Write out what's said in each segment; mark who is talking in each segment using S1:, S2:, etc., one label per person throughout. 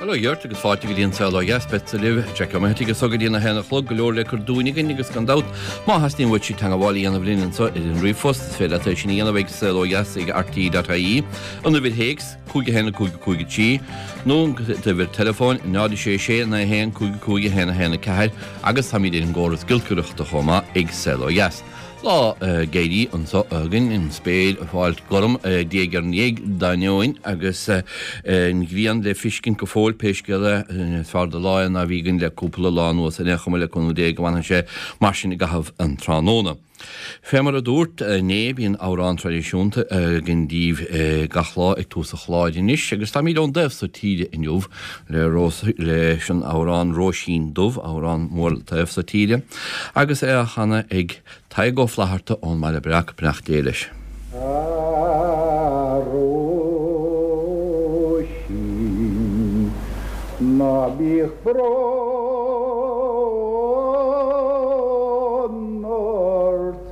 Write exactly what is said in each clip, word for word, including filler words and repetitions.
S1: Bhuel, a Gheert, agus fáilte go dtí an Saol Ó Dheas, beadsa libh, Jack Ó Meithigh agus go dtí a haon a chlog, go leor le cur dúinn againn agus gan dabht, má theastaíonn uait teagmháil a dhéanamh linn anseo ar an ríomhphost, is féidir leat é sin a dhéanamh ag saol ó dheas ag R T E dot I E, an uimhir théacs cúig haon cúig cúig trí, nó an uimhir teileafóin náid sé sé naoi haon cúig cúig haon haon ceathair, agus táimid ar an gcóras giolcaireachta chomh maith ag Saol Ó Dheas. Lá géirí anseo againn, an spéir ag fáilt gorm diaidh ar ndiaidh d'ainneoin agus an ghrian le feiscint go fóill, pé scéal é. Is fearr de lá é ná bhí againn le cúpla lá anuas. Ar aon chuma, le cúnamh Dé go bhfanfaidh sé mar sin i gcaitheamh an tráthnóna. Fé mar a dúrt inné, bíonn amhrán traidisiúnta againn daoibh gach lá ag tús an chláir anois, agus táimid ón dtaobh so tíre inniu le leis an amhrán Róisín Dubh, amhrán mór taobh so tíre, agus é á chanadh ag Tadhg Ó Flatharta ón mBaile Breac. Beannacht Dé leis.
S2: A Róisín, ná bíodh brón ort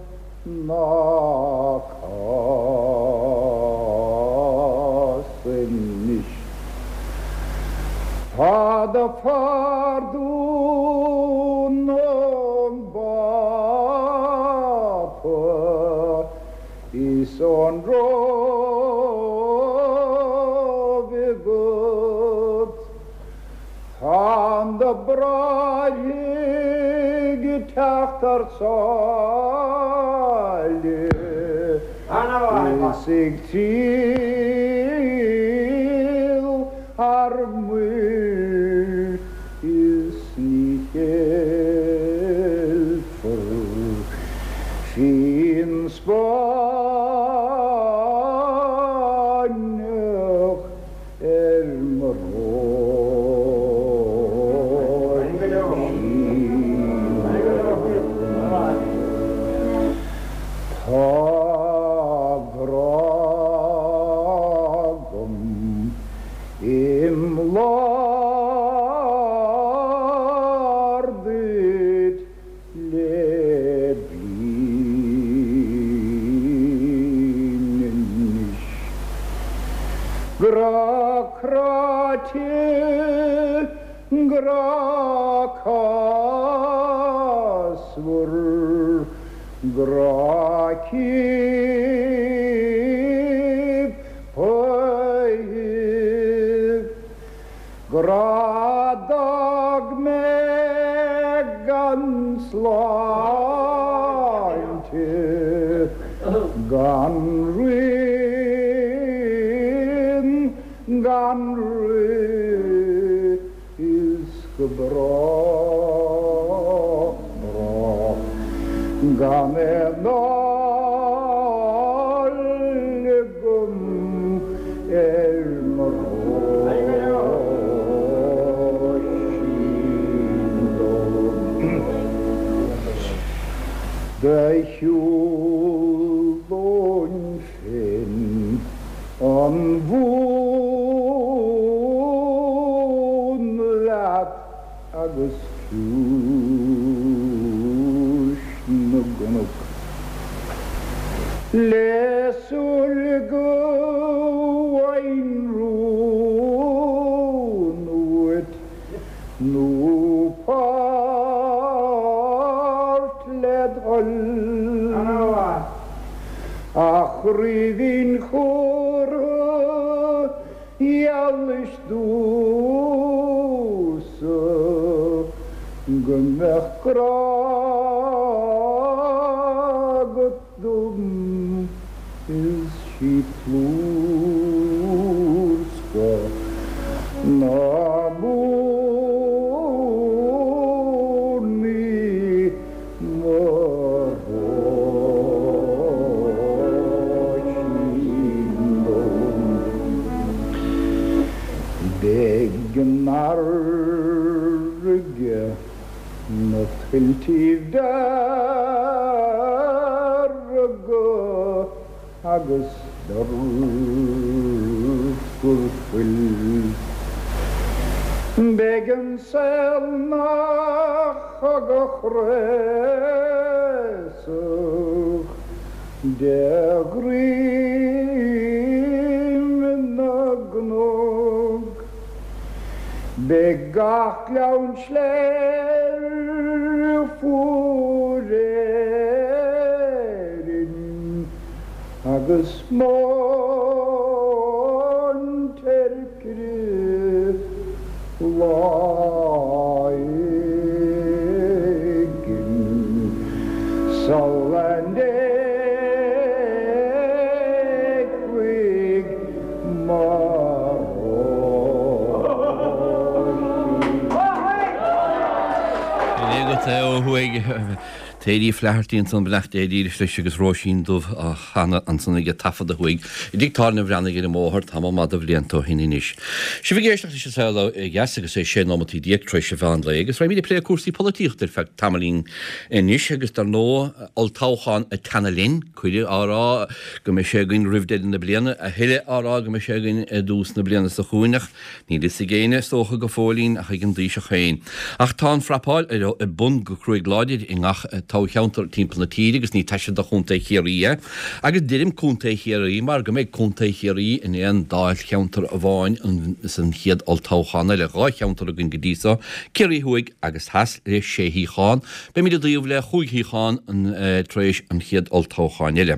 S2: ná cás anois. Tá do phardún ón bPápa is ón Róimh agat. Tá na bráithre ag teacht thar sáile is ag triall thar muir is ní cheilfear fíon Spáinneach ar mo Róisín dubh. Tá grá agam im lár duit le bliain anois. Grá cráite, grá cásmhar, grá ciapaithe, grá d'fhág mé gan sláinte, gan rian, gan rith is go brách, brách, gan aon fháil agam ar mo Róisín dubh. Do shiúlóinn féin an mhóin leat agus ciúis na gcnoc. Le súil go bhfaighinn rún uait nó páirt led thoil. A chraoibhín chumhra gheallais domhsa go mbeadh grá agat dom is sí plúr-scoth na mórnaí mo Róisín dubh. Beidh an fharraige na tuiltí dearga agus dorchar fuil. Beidh an saol 'na chogadh craosach de dhroim na gcnoc. Beidh gach gleann sléibhe fuar Éirinn agus móin teircre lá éigin sula n-éagfaidh mo Róisín.
S1: Sin é agat é ó thuaidh. Thady Flaherty ansan, beannacht Dé dílis leis agus Róisín Dubh á chanadh ansan aige taifeadta thuaidh i dtigh tábhairne Bhreathnaigh ar an mbóthar tamall maith de bhlianta ó shin anois. Sibh ag éisteacht leis an Saol Ó Dheas agus é sé nóimeataí déag tar éis an mheán lae agus raghaimid ag plé cúrsaí polaitíochta ar feadh tamaillín anois agus dar ndóigh olltoghchán ag teannadh linn, cuireadh á rá go mbeidh sé againn roimh deireadh na bliana, a thuilleadh á rá go mbeidh sé againn i dtús na bliana seo chugainn ach níl fhios ag éinne is dócha go fóillín ach ag an dTaoiseach féin. Ach tá an phrapáil ar bun go cruaidh láidir i ngach toghcheantar timpeall na tíre agus ní taise do Chontae Chiarraí é. Agus deirim Contae Chiarraí mar go mbeidh Contae Chiarraí in aon dáilcheantar amháin san chéad olltoghchán eile. Dhá cheantar againn go dtí so, Ciarraí Thuaidh agus Theas le sé shuíochán. Beimid i dtaobh le chúig shuíochán tar éis an chéad olltoghcháin eile.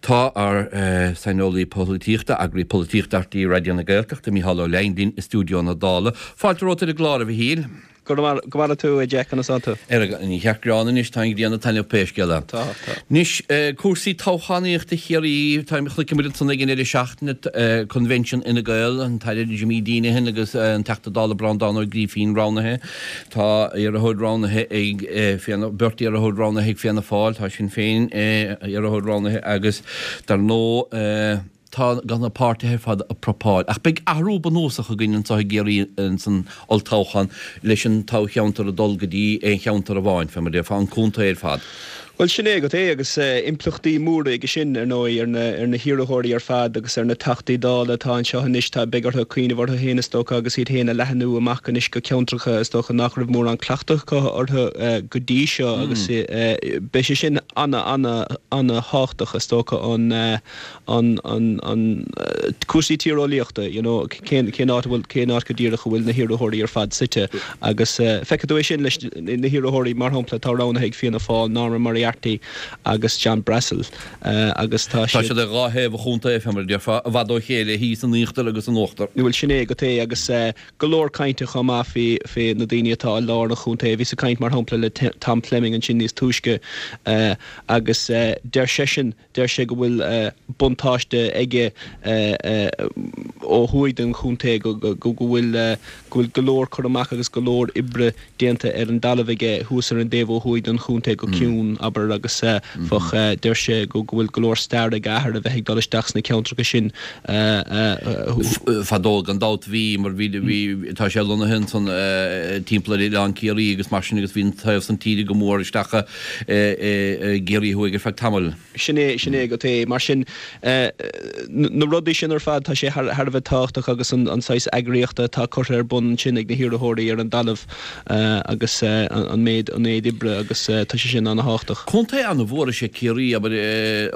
S1: Tá ár saineolaí polaitíochta, eagraí polaitíochta R T É Raidió na Gaeltachta, Micheál Ó Leidhin linn i stiúideo na Dála. Fáilte romhat ar an gclár, a Mhichíl.
S3: Go maire tú a Jack conas atá tú.
S1: Ar an cheart greann anois tá an ghrian ag taitneamh pé scéal é.
S3: Tá, tá.
S1: Anois cúrsaí toghchánaíochta Chiarraí, tá chonaic muid ansan ag an deireadh seachtaine Convention Fhine Gael, an tAire Jimmy Deenihan agus an Teachta Dála Breandán Ó Grífín roghnaithe. Tá iarrthóir roghnaithe ag Fianna, beirt iarrthóir roghnaithe ag Fianna Fáil, tá Sinn Féin iarrthóir roghnaithe agus dar ndóigh tá gan na páirtithe ar fad ag prapáil. Ach beidh athrú bunúsach againn anseo i gCiarraí san olltoghchán leis an toghcheantar ag dul go dtí aon cheantar amháin, fé mar déarfá an contae ar fad.
S3: Well sin é agat é agus impleachtaí móra aige sin ar ndóigh ar na ar na hiarrthóirí ar fad agus ar na teachtaí dála atá anseo anois tá beidh orthu cuimhneamh orthu féin is dócha agus iad féin a leathnú amach anois go ceantracha is dócha nach raibh mórán cleachtadh acu orthu go dtí seo agus beidh sé sin ana ana ana-thábhachtach is dócha an an an an cúrsaí tíreolaíochta you know cén cén áit a bhfuil cén áit go díreach a bhfuil na hiarrthóirí ar fad suite agus feicfidh tú é sin leis na hiarrthóirí mar shampla atá roghnaithe ag Fianna Fáil Norma Moriarty agus John Brassil agus tá
S1: Tá siad ar dhá thaobh an chontae fé mar a déarfá i bhfad ó chéile thíos in íochtar agus in uachtar.
S3: Bhuel sin é agat é agus go leor cainte chomh maith faoi faoi na daoine atá i lár an chontae. Bhíos ag caint mar shampla le Tom Fleming ansin níos túisce agus deir seisean deir sé go bhfuil buntáiste aige ó thuaidh den chontae go go bhfuil go bhfuil go leor cur amach agus go leor oibre déanta ar an dtalamh aige thuas ar an dtaobh ó thuaidh den chontae go ciúin abair agus fach deir sé go go bhfuil go leor stair ag a athair a bheith ag dul isteach sna ceantracha sin
S1: Fadó gan dabht bhí mar bhí bhí tá sé lonnaithe ansan timpeall ar Oileán Ciarraí agus mar sin agus bhí an taobh san tíre go mór isteach i gCiarraí thuaidh ar feadh tamaill.
S3: Sin é sin é agat é mar sin na rudaí sin ar fad tá sé thar a bheith tábhachtach agus an an saghas eagraíochta atá curtha ar bun ansin ag na hiarrthóirí ar an dtalamh agus an méid an méid oibre agus tá sé sin an-tábhachtach.
S1: Contae an-mhór is ea Ciarraí abair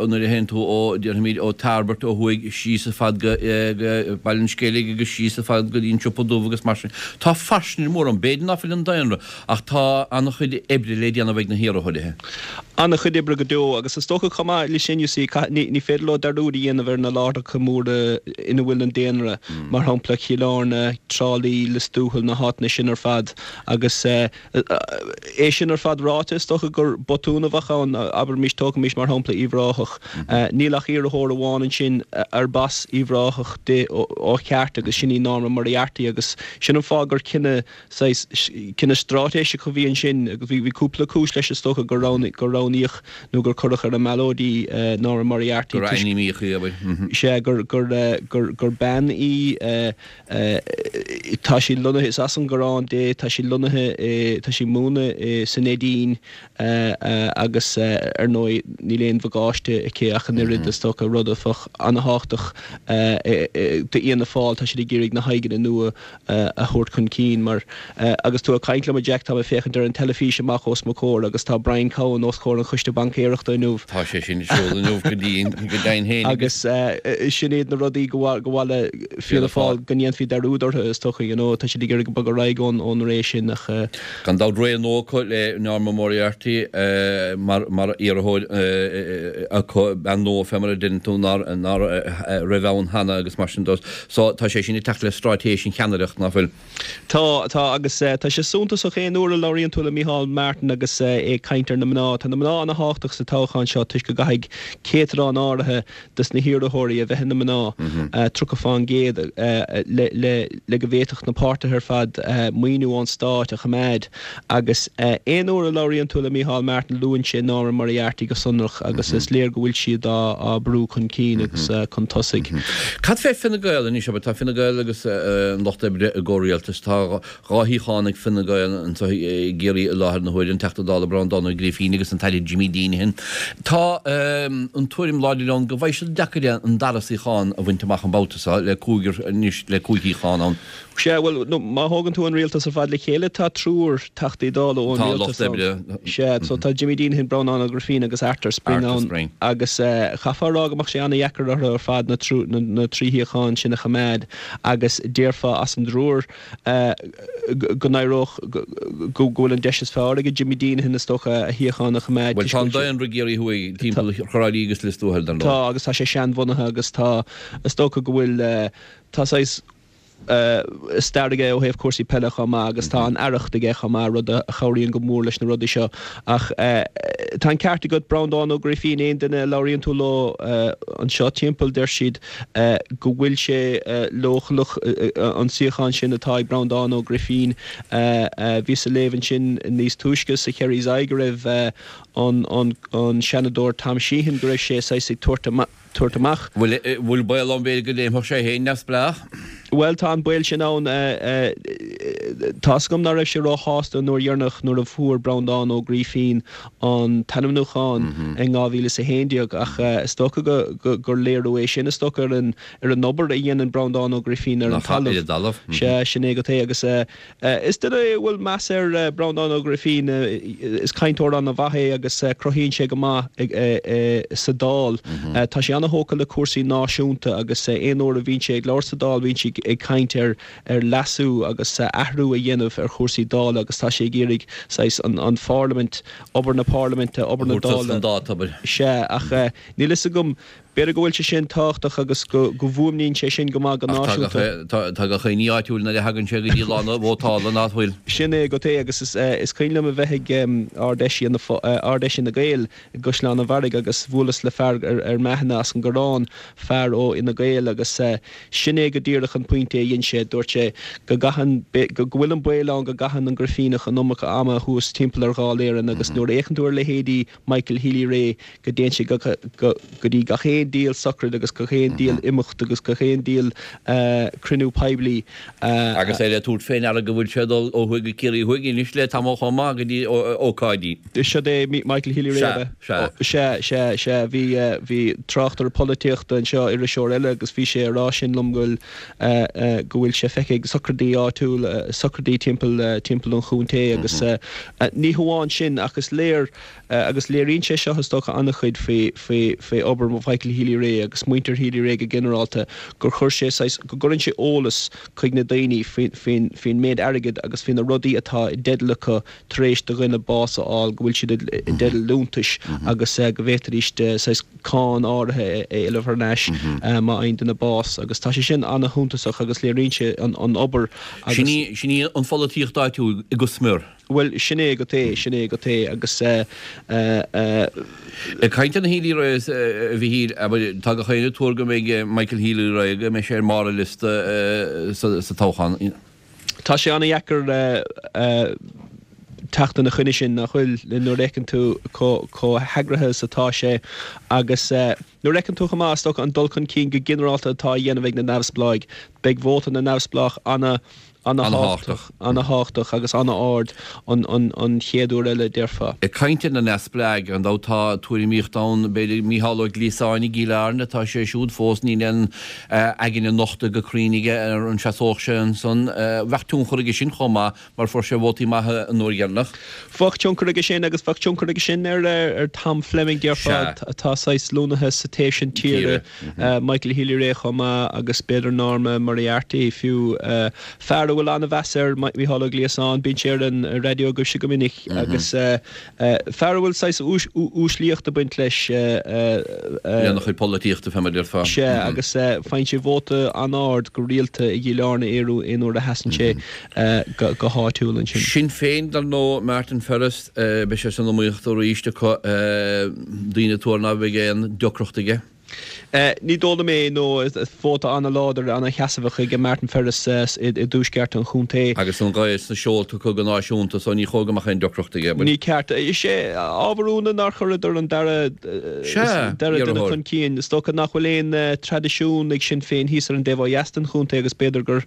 S1: nuair a théann tú ó déarfaimid ó Tairbeart ó thuaidh síos ar fad go go Baile an Sceilg agus síos ar fad go dtí an Siopa Dubh agus mar sin. Tá fairsinge mór ann, b'fhéidir ná fuil an daonra ach tá an-chuid oibre le déanamh ag na hiarrthóirithe.
S3: An-chuid oibre go deo agus is dócha chomh maith leis sin you see ní ní féidir leo dearúd a dhéanamh ar na láithreacha móra ina bhfuil an daonra mar shampla Cill Airne, Trá Lí, Lios Tuathail na háiteanna sin ar fad agus é sin ar fad ráite is dócha gur botún a bheadh ann abraimis tógaimis mar shampla Uíbh Ráthach. Níl ach iarrthóir amháin ansin arb as Uíbh Ráthach di ó cheart agus sin í Norma Moriarty agus sin an fáth gur cinneadh saghas cinneadh straitéiseach a bhí ansin agus bhí bhí cúpla cúis leis is dócha gur roghnaíodh gur roghnaíodh nó gur cuireadh ar an mballóid í Norma Moriarty
S1: Gur ainmníodh í abair.
S3: Sea gur gur gur gur bean í tá sí lonnaithe is as an gCoireán di tá sí lonnaithe tá sí ag múineadh sa Neidín agus ar ndóigh níl aon bhagáiste aici ach an oiread is dócha rud a bheadh an-tábhachtach d'Fhianna Fáil tá siad ag iarraidh na haghaidheanna nua a thabhairt chun cinn mar agus tú ag caint liom a Jack tá mé ag féachaint ar an teilifís amach os mo chomhair agus tá Brian Cowen os comhair an Choiste Baincéireachta inniu.
S1: Tá sé sin ar siúl inniu go dtí go deimhin féin
S3: agus. Agus sin iad na rudaí go go mba mhaith le Fianna Fáil go ndéanfaí dearúd orthu is dócha you know tá siad ag iarraidh bogadh ar aghaidh ón ón ré sin ach
S1: Gan dabht ré nua acu le Norma Moriarty mar mar iarrthóir acu, bean nua fé mar a deireann tú nár nár raibh ann cheana agus mar sin de. So tá sé sin ag teacht le straitéis an cheannaireacht, nach bhfuil?
S3: Tá, tá agus tá sé suntasach aon uair a labhraíonn tú le Micheál Martin agus é ag caint ar na mná. Tá na mná ana-thábhachtach sa toghchán seo toisc go gcaithfidh céatadán áirithe des na hiarrthóirí a bheith ina mná, tríocha fán gcéad, le le le go bhféadfadh na páirtithe ar fad maoiniú ón stát a choimeád. Agus aon uair a labhraíonn tú le Micheál Martin luann sé Norma Moriarty go sonrach agus is léir go bhfuil siad á á brú chun cinn agus chun tosaigh.
S1: Cad fé Fine Gael anois? Abair, tá Fine Gael agus an Lucht Oibre i gcomhrialtas. Tá dhá shuíochán ag Fine Gael anseo i gCiarraí i láthair na huaire, an Teachta Dála Breandán Ó Grífín agus an tAire Jimmy Deenihan. Tá an tuairim láidir ann go bhfaighidh siad deacair é an dara suíochán a bhaint amach an babhta seo, le cúigear anois, le cúig shuíochán ann.
S3: Sea, bhuel, nó má thógann tú an rialtas ar fad le chéile, tá triúr Teachtaí Dála ón
S1: Tá Lucht
S3: rialtas ann.
S1: Oibre.
S3: Sea, so tá Jimmy Deenihan, Breandán Ó Grifín agus Arthur Spring
S1: Arthur
S3: ann
S1: Spring.
S3: agus chaithfeá a rá go mbeadh sé an-dheacair orthu ar fad na trú, na, na trí shuíochán sin a choimeád agus déarfá as an dtriúr go n-éireodh, go, go bhfuil an deis is fearr ag Jimmy Deenihan is dócha a shuíochán a choimeád
S1: Bhuel,
S3: toisc
S1: tá
S3: go
S1: an
S3: bhfuil sé.
S1: daonra i gCiarraí Thuaidh timpeall Thrá Lí agus Lios Tuathail, dar ndóigh.
S3: Tá agus tá sé seanbhunaithe agus tá, is dócha go bhfuil, tá saghas stair aige ó thaobh cúrsaí peile chomh maith agus tá an aireacht aige chomh maith, rud a chabhraíonn go mór leis na rudaí seo. Ach tá an ceart agat, Breandán Ó Grifín, aon duine a labhraíonn tú leo anseo timpeall, deir siad go bhfuil sé leochaileach an suíochán sin atá ag Breandán Ó Grifín. Bhíos ag léamh ansin níos túisce sa Kerry's Eye go raibh an Seanadóir Tom Sheehan, go raibh sé saghas ag tabhairt amach, tabhairt amach.
S1: Bhfuil bhfuil baol ann b'fhéidir go léimfeadh sé féin neamhspleách?
S3: Bhuel, tá an baol sin ann. Tá's agam ná raibh sé róshásta an uair dheireanach nuair a fuair Breandán Ó Grífín an t-ainmniúchán in dhá mhíle is a haon déag ach is dócha gur léiriú é sin, is dócha, ar an ar an obair a dhéanann Breandán Ó Grifín ar an talamh. Sea, sin é agat é agus is duine é a bhfuil meas air, Breandán Ó Grifín. Is cainteoir an-mhaith é agus cruthaíonn sé go maith sa Dáil. Tá sé ana-thógtha le cúrsaí náisiúnta agus aon uair a bhíonn sé ag labhairt sa Dáil bíonn sé ag caint ar ar leasú agus athrú a dhéanamh ar chúrsaí Dála agus tá sé ag iarraidh saghas an an pharlaimint, obair na parlaiminte, obair na Dála. Sea, ach níl fhios agam, b'fhéidir go bhfuil sé sin tábhachtach agus go go bhfuaimníonn sé sin go maith go
S1: náisiúnta. Ach tá gach éinne áitiúil nuair a thagann sé go dtí lá na vótála, nach bhfuil?
S3: Sin é agat é agus is is cuimhin liom a bheith ag Ard-Fheis Ard-Fheis Fhine Gael i gCaisleán an Bharraigh agus bhuaileas le fear ar m'aithne as an gCoireán, fear ó Fhine Gael agus sin é go díreach an pointe a dhein sé, dúirt sé go gcaitheann, go bhfuil an baol ann go gcaitheann an Grifíneach an iomarca ama thuas timpeall ar Dháil Éireann agus nuair a fhéachann tú ar leithéidí Michael Healy-Rae go dtéann sé go dtí gach aon diabhal sochraid agus gach aon diabhal imeacht agus gach aon diabhal cruinniú poiblí.
S1: Agus é le tabhairt fé ndeara go bhfuil sé ag dul ó thuaidh go Ciarraí Thuaidh anois le tamall chomh maith go dtí ócáidí.
S3: Siod é Michael Healy-Rae, ab ea?
S1: Sea,
S3: sea. Sea, sea, sea. Bhí, bhí tráchtaire polaitíochta anseo, iriseoir eile, agus bhí sé ag rá sin liom go bhfuil, go bhfuil sé feicthe ag sochraidí áitiúla, sochraidí timpeall, timpeall an chontae agus ní hamháin sin ach is léir, agus léiríonn sé seo is dócha an-chuid faoi, faoi, faoi obair Mhichael Healy-Rae agus muintir Healy-Rae go ginearálta, gur chuir sé saghas, go gcuireann sé eolas chuig na daoine faoin, faoin, faoin méid airgid agus faoi na rudaí atá i dteideal acu tar éis do dhuine bás a fháil, go bhfuil siad i dteideal liúntais agus go bhféadfaidís saghas cáin áirithe a éileamh thar n-ais má fhaigheann duine bás agus tá sé sin an-shuntasach agus léiríonn sé an obair
S1: agus. Sin í an pholaitíocht áitiúil go smior.
S3: Bhuel, sin é agat é, sin é agat é agus eh eh.
S1: Ag caint ar na Healy-Raes, a Mhichíl, abair, tá gach éinne ag tuar go mbeidh Michael Healy-Rae, go mbeidh sé ar mbarr an liosta sa toghchán.
S3: Tá sé an-dheacair teacht ina choinne sin, nach bhfuil, nuair a fheiceann tú chomh heagraithe is atá sé agus nuair a fheiceann tú chomh maith, is dócha, an dul chun cinn go ginearálta atá á dhéanamh ag na neamhspleáigh. Beidh vóta na neamhspleách ana ana-thábhachtach, ana-thábhachtach agus ana-ard an an chéad uair eile, déarfá.
S1: Ag caint ar na neamhspleáigh, gan dabht tá tuairimíocht ann, b'fhéidir Micheál Ó Gliasáin i gCill Airne, tá sé siúd fós, níl aon aigne nochta go cruinn aige ar an seasódh sé ansan. Bheadh tionchar aige sin chomh maith mar fuair sé vótaí maithe an uair dheireanach.
S3: Bheadh tionchar aige sin agus bheadh tionchar aige sin ar ar Tom Fleming, déarfá, atá saghas lonnaithe sa taobh sin tíre, Michael Healy-Rae chomh maith agus b'fhéidir Norma Moriarty fiú. Fear a a bhfuil an-mheas air, Mícheál Ó Gliasáin, bíonn sé ar an raidió agaibhse go minic agus fear a bhfuil saghas uaislíocht ag baint leis.
S1: Lena chuid polaitíochta, fé mar a déarfá.
S3: Sea, agus faigheann sé vóta an-ard go rialta i gCill Airne aon uair a sheasann sé go háitiúil ansin.
S1: Sinn Féin, dar ndóigh, Martin Ferris, beidh sé san iomaíocht arís acu, daoine ag tuar ná beidh aon deacracht aige.
S3: Ní dóigh liom é, nó vóta an-láidir, an-sheasmhach ag Martin Ferris i dtuaisceart an chontae.
S1: Agus an ghaoth sna seolta acu go náisiúnta so ní chóir go mbeadh aon deacracht aige.
S3: Ní ceart. Is é ábhar ionaidh nár chuireadar an dara dara duine chun cinn. Is dócha nach bhfuil aon traidisiún ag Sinn Féin thíos ar an dtaobh ó dheas den chontae agus b'fhéidir gur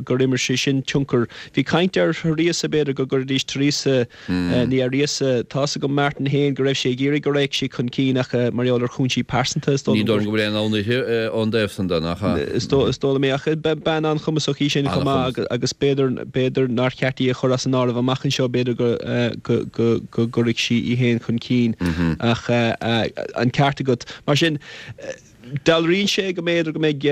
S3: gur imir sé sin tionchar. Bhí caint ar Theresa, b'fhéidir go gcuirfidís Teresa Ní Fhearghusa. Tá's agam Martin féin go raibh sé ag iarraidh go raghadh sí chun cinn ach mar gheall ar chúinsí pearsanta is dóigh
S1: liom. Ní dóigh liom go bhfuil aon fhonn uirthi ón dtaobh san de, nach ea?
S3: Is dóigh liom é ach bean an-chumasach í sin chomh maith agus b'fhéidir b'fhéidir nár cheart í a chur as an áireamh amach anseo, b'fhéidir go go go gcuirfidh sí í féin chun cinn ach an ceart agat. Mar sin. Dealraíonn sé go mb'fhéidir go mbeidh,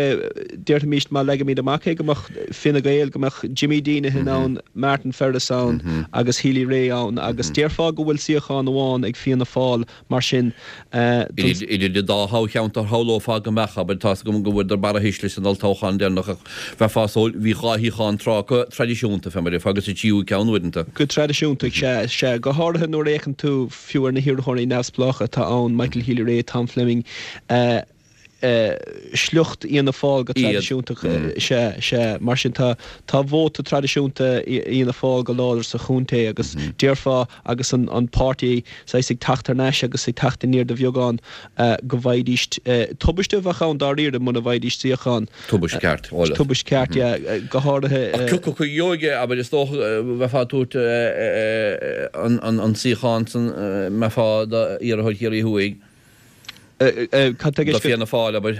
S3: déarfaimis má leagaimid amach é, go mbeadh Fine Gael, go mbeadh Jimmy Deenihan ann, Martin Ferris ann agus Healy-Rae ann agus déarfá go bhfuil suíochán amháin ag Fianna Fáil mar sin
S1: don. Idir an dá thoghcheantar shamhlófá go mbeadh, abair, tá's agam go bhfuaireadar barra thuisle san olltoghchán deireanach ach bheifeá ag súil, bhí dhá shuíochán tráth acu traidisiúnta, fé mar a déarfá, agus an tríú ceann uaireanta.
S3: Go traidisiúnta, sea, sea, go háirithe nuair a fhéachann tú fiú ar na hiarrthóirí neamhspleácha atá ann, Michael Healy-Rae, Tom Fleming, sliocht Fhianna Fáil go traidisiúnta, sea, sea. Mar sin tá, tá vóta traidisiúnta Fhianna Fáil go láidir sa chontae agus déarfá agus an, an páirtí saghas ag teacht thar n-ais agus ag teacht aniar de bheagán go bhfaighidís, tubaiste a bheadh ann dáiríre muna bhfaighidís suíochán.
S1: Tubaiste ceart, eolas.
S3: Tubaiste ceart, yeah, go háirithe.
S1: Ach cioca acu a gheobhaidh é, abair, is dócha, bheifeá ag tabhairt an, an, an suíochán san, mbeifeá d'iarrthóir Chiarraí Thuaidh.
S3: Cad tá i
S1: gceist? Do Fianna Fáil, abair.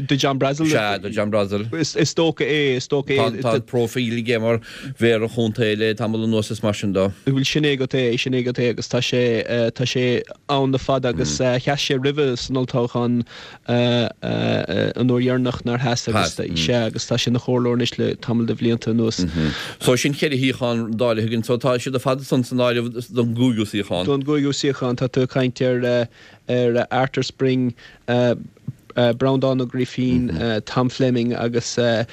S3: Do John Brassil?
S1: Sea, do John Brassil.
S3: Is dócha é, is dócha é.
S1: Tá an próifíl aige mar mhéara an chontae le tamall anuas is mar sin de.
S3: Bhuel, sin é agat é, sin é agat é agus tá sé, tá sé ann le fada agus sheas sé roimhe san olltoghchán an uair dheireanach nár sheas agus, sea, agus tá sé ina chomhairleoir anois le tamall de bhlianta anuas.
S1: So sin ceithre shuíochán dáilithe againn, so tá siad ar fad ansan san áireamh don gcúigiú suíochán.
S3: Don gcúigiú suíochán, tá tú ag caint ar ar Arthur Spring, Breandán Ó Grifín, Tom Fleming agus fear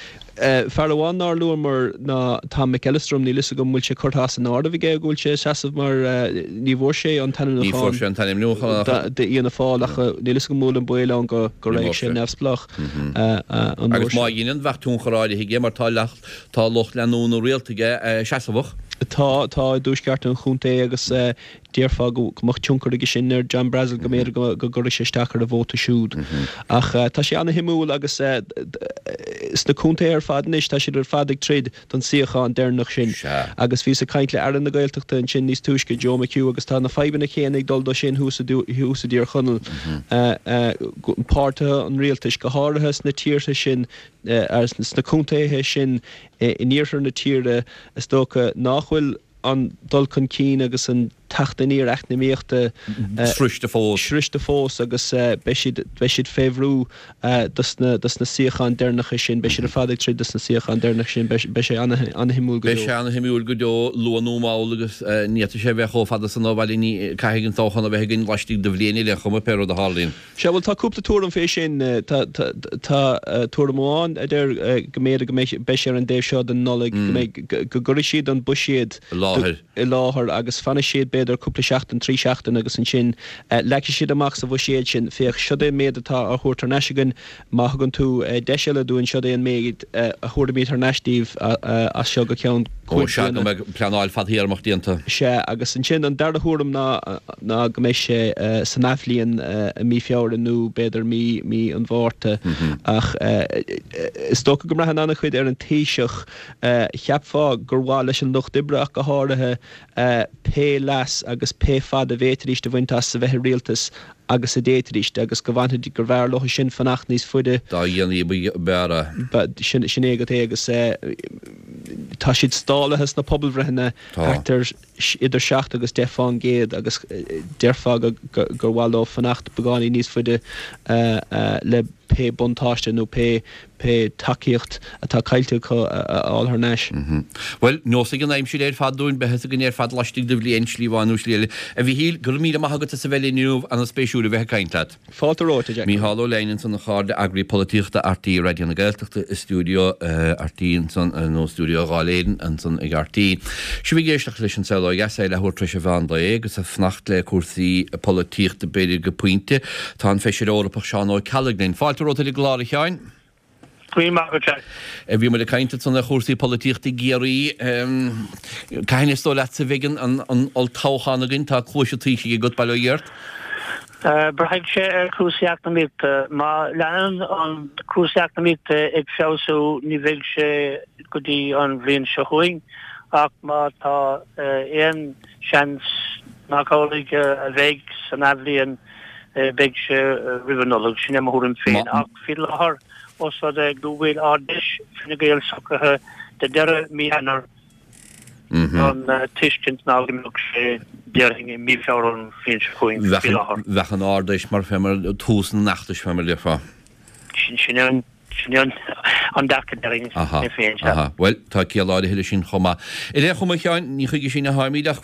S3: amháin nár luamar ná Tom McEllistrim, níl fhios agam an bhfuil sé curtha as an áireamh aige go bhfuil sé ag seasamh mar ní bhfuair sé an
S1: t-ainmniúchán sé an t-ainmniúchán
S3: d'Fhianna Fáil ach níl fhios agam an bhfuil an baol ann go go raghadh sé neamhspleách
S1: an uair Agus má dheineann bheadh tionchar áirithe aige mar tá tá lucht leanúna rialta aige seasamhach.
S3: Tá, tá i dtuaisceart an chontae agus Déarfá go mbeadh tionchar aige sin ar John Brassil, go mb'fhéidir go gcuirfeadh sé isteach ar a vóta siúd. Ach tá sé ana-shuimiúil agus sna contaetha ar fad anois, tá siad ar fad ag troid don suíochán deireanach sin. Agus bhíos ag caint le Aire na Gaeltachta ansin níos túisce, Joe McHugh, agus tá na fadhbanna céanna ag dul dó sin thuas i dTír Chonaill. Páirtithe an rialtais, go háirithe sna tíortha sin, sna contaetha sin in iarthar na tíre, is dócha nach bhfuil an dul chun cinn agus an teacht aniar eacnamaíochta
S1: sroichte fós.
S3: sroichte fós agus beidh siad beidh siad fé bhrú dos na dos na suíocháin deireanacha sin, beidh siad ar fad ag troid dos na suíocháin deireanacha sin, beidh beidh sé ana-shuimiúil go
S1: deo. Beidh sé ana-shuimiúil go deo, luath nó mall agus ní fhéadfaidh sé a bheith chomh fada san ó bhaile, ní caithfidh an toghchán a bheith againn laistigh de bhliain ar aon chuma, pé rud a tharlaíonn.
S3: Sea, bhuel tá cúpla tuairim fé sin. Tá tá tuairim amháin a deir go mb'fhéidir go mbeidh beidh sé ar an dtaobh seo den Nollaig, go mbeidh go gcuirfidh siad an buiséad
S1: i láthair.
S3: i láthair agus fanfaidh siad b'fhéidir cúpla seachtain, trí seachtain agus ansin leagfaidh siad amach sa bhuiséad sin, féach, siod é an méid atá á thabhairt thar n-ais againn, má thugann tú deis eile dúinn, siod é an méid a thabharfaimid thar n-ais daoibh as seo go ceann
S1: cúig bliana. Ó sea, go mbeidh pleanáil fadthéarmach déanta.
S3: Sea, agus ansin an dara thuairim ná ná go mbeidh sé san athbhliain i mí Feabhra nó b'fhéidir mí mí an Mhárta. Ach is dócha go mbraitheann an-chuid ar an Taoiseach. Cheapfá gur mhaith leis an Lucht Oibre ach go háirithe pé leas agus pé fad a bhféadfaidís a bhaint as a bheith i rialtas agus a d'fhéadfaidís agus go bhfanfaidís, gurbh fhearr leo sin fanacht níos faide.
S1: Dá dhéanaí ab fhearr
S3: é. Sin é agat é agus tá siad stálaithe sna pobalbhreitheanna thart ar idir seacht agus deich fán gcéad agus déarfá gur mhaith leo fanacht beagáinín níos faide le pé buntáiste nó pé pé tacaíocht atá caillte acu a fháil thar n-ais.
S1: Bhuel, neosfaidh an aimsir ar fad dúinn, beidh a fhios againn ar fad laistigh de bhliain, slí amháin nó slí eile. A Mhíchíl, go raibh míle maith agat as a bheith linn inniu, an-spéisiúil a bheith ag caint leat.
S3: Fáilte romhat, a Jack.
S1: Mícheál Ó Leidhin ansan, a chairde, eagraí polaitíochta RTÉ Raidió na Gaeltachta i stiúideo RTÉ ansan, nó stiúideo Dháil Éireann ansan ag RTÉ. Sibh ag éisteacht leis an Saol Ó Dheas, é leathuair tar éis an mheán lae agus ag fanacht le cúrsaí polaitíochta b'fhéidir go pointe. Tá an Feisire Eorpach Seán Ó Ceallaigh linn. Fáilte romhat ar an gclár, a Sheáin.
S4: Go raibh maith agat, Jack.
S1: Bhí muid ag caint ansan ar chúrsaí polaitíochta i gCiarraí. Cathain is dóigh leatsa a bheidh an olltoghchán againn? Tá cluais an Taoisigh agat, bail ó Dhia ort.
S4: Braithfidh sé ar chúrsaí eacnamaíochta. Má leanann an cúrsaí eacnamaíochta ag feabhsú ní bheidh sé go dtí an bhliain seo chugainn ach má tá aon seans nach amhlaidh a bheidh san athbhliain beidh sé roimh an Nollaig, sin é mo thuairim féin. Ach faoi láthair, ós rud é go bhfuil Ard-Fheis Fine Gael socraithe do deireadh mí Eanáir, an tuiscint ná go mbeadh sé, déarfainn, i mí Feabhra an bhliain seo chugainn faoi láthair.
S1: Bheadh an Ard-Fheis mar fé mar tús an fheachtais fé mar a déarfá.
S4: Sin é an. Sin é an dearcadh déarfainn
S1: Aha,
S4: mé féin, sea.
S1: aha. Bhuel, tá ciall áirithe leis sin chomh maith. Ar aon chuma, a Sheáin, ní chuige sin a tháimid ach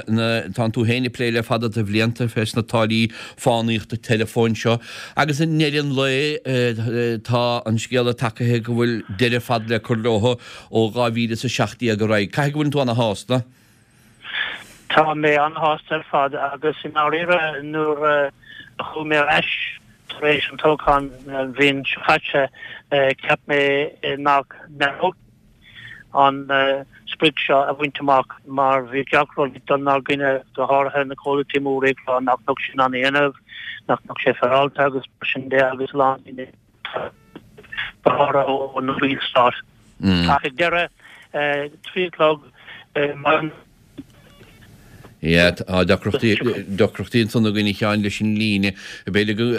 S1: na, tánn tú féin ag plé le fada de bhlianta fés na táillí fánaíochta teileafóin seo agus i ndeireadh an lae tá an scéala tagaithe go bhfuil deireadh fada le cur leo ó dhá mhíle is a seacht déag ar aghaidh. Caithfidh go bhfuileann tú ana-shásta?
S4: Tá mé an-shásta ar fad agus i ndáiríre nuair a chuaigh mé ar ais Tar éis an toghcháin an bhliain seo caite, cheap mé nach mbeadh an sprioc seo a bhaint amach mar bhí gach rud ag dul inár gcoinne, go háirithe na comhlachtaí móra ag rá nach mbeadh sé in ann a dhéanamh, nach mbeadh sé féaráilte agus mar sin de agus a lán daoine, go háirithe ó na baill stáit. Ach ag deireadh, trí a chlog maidin,
S1: Yeah, tá deacrachtaí, deacrachtaí ansan againn a Sheáin leis an líne. B'fhéidir go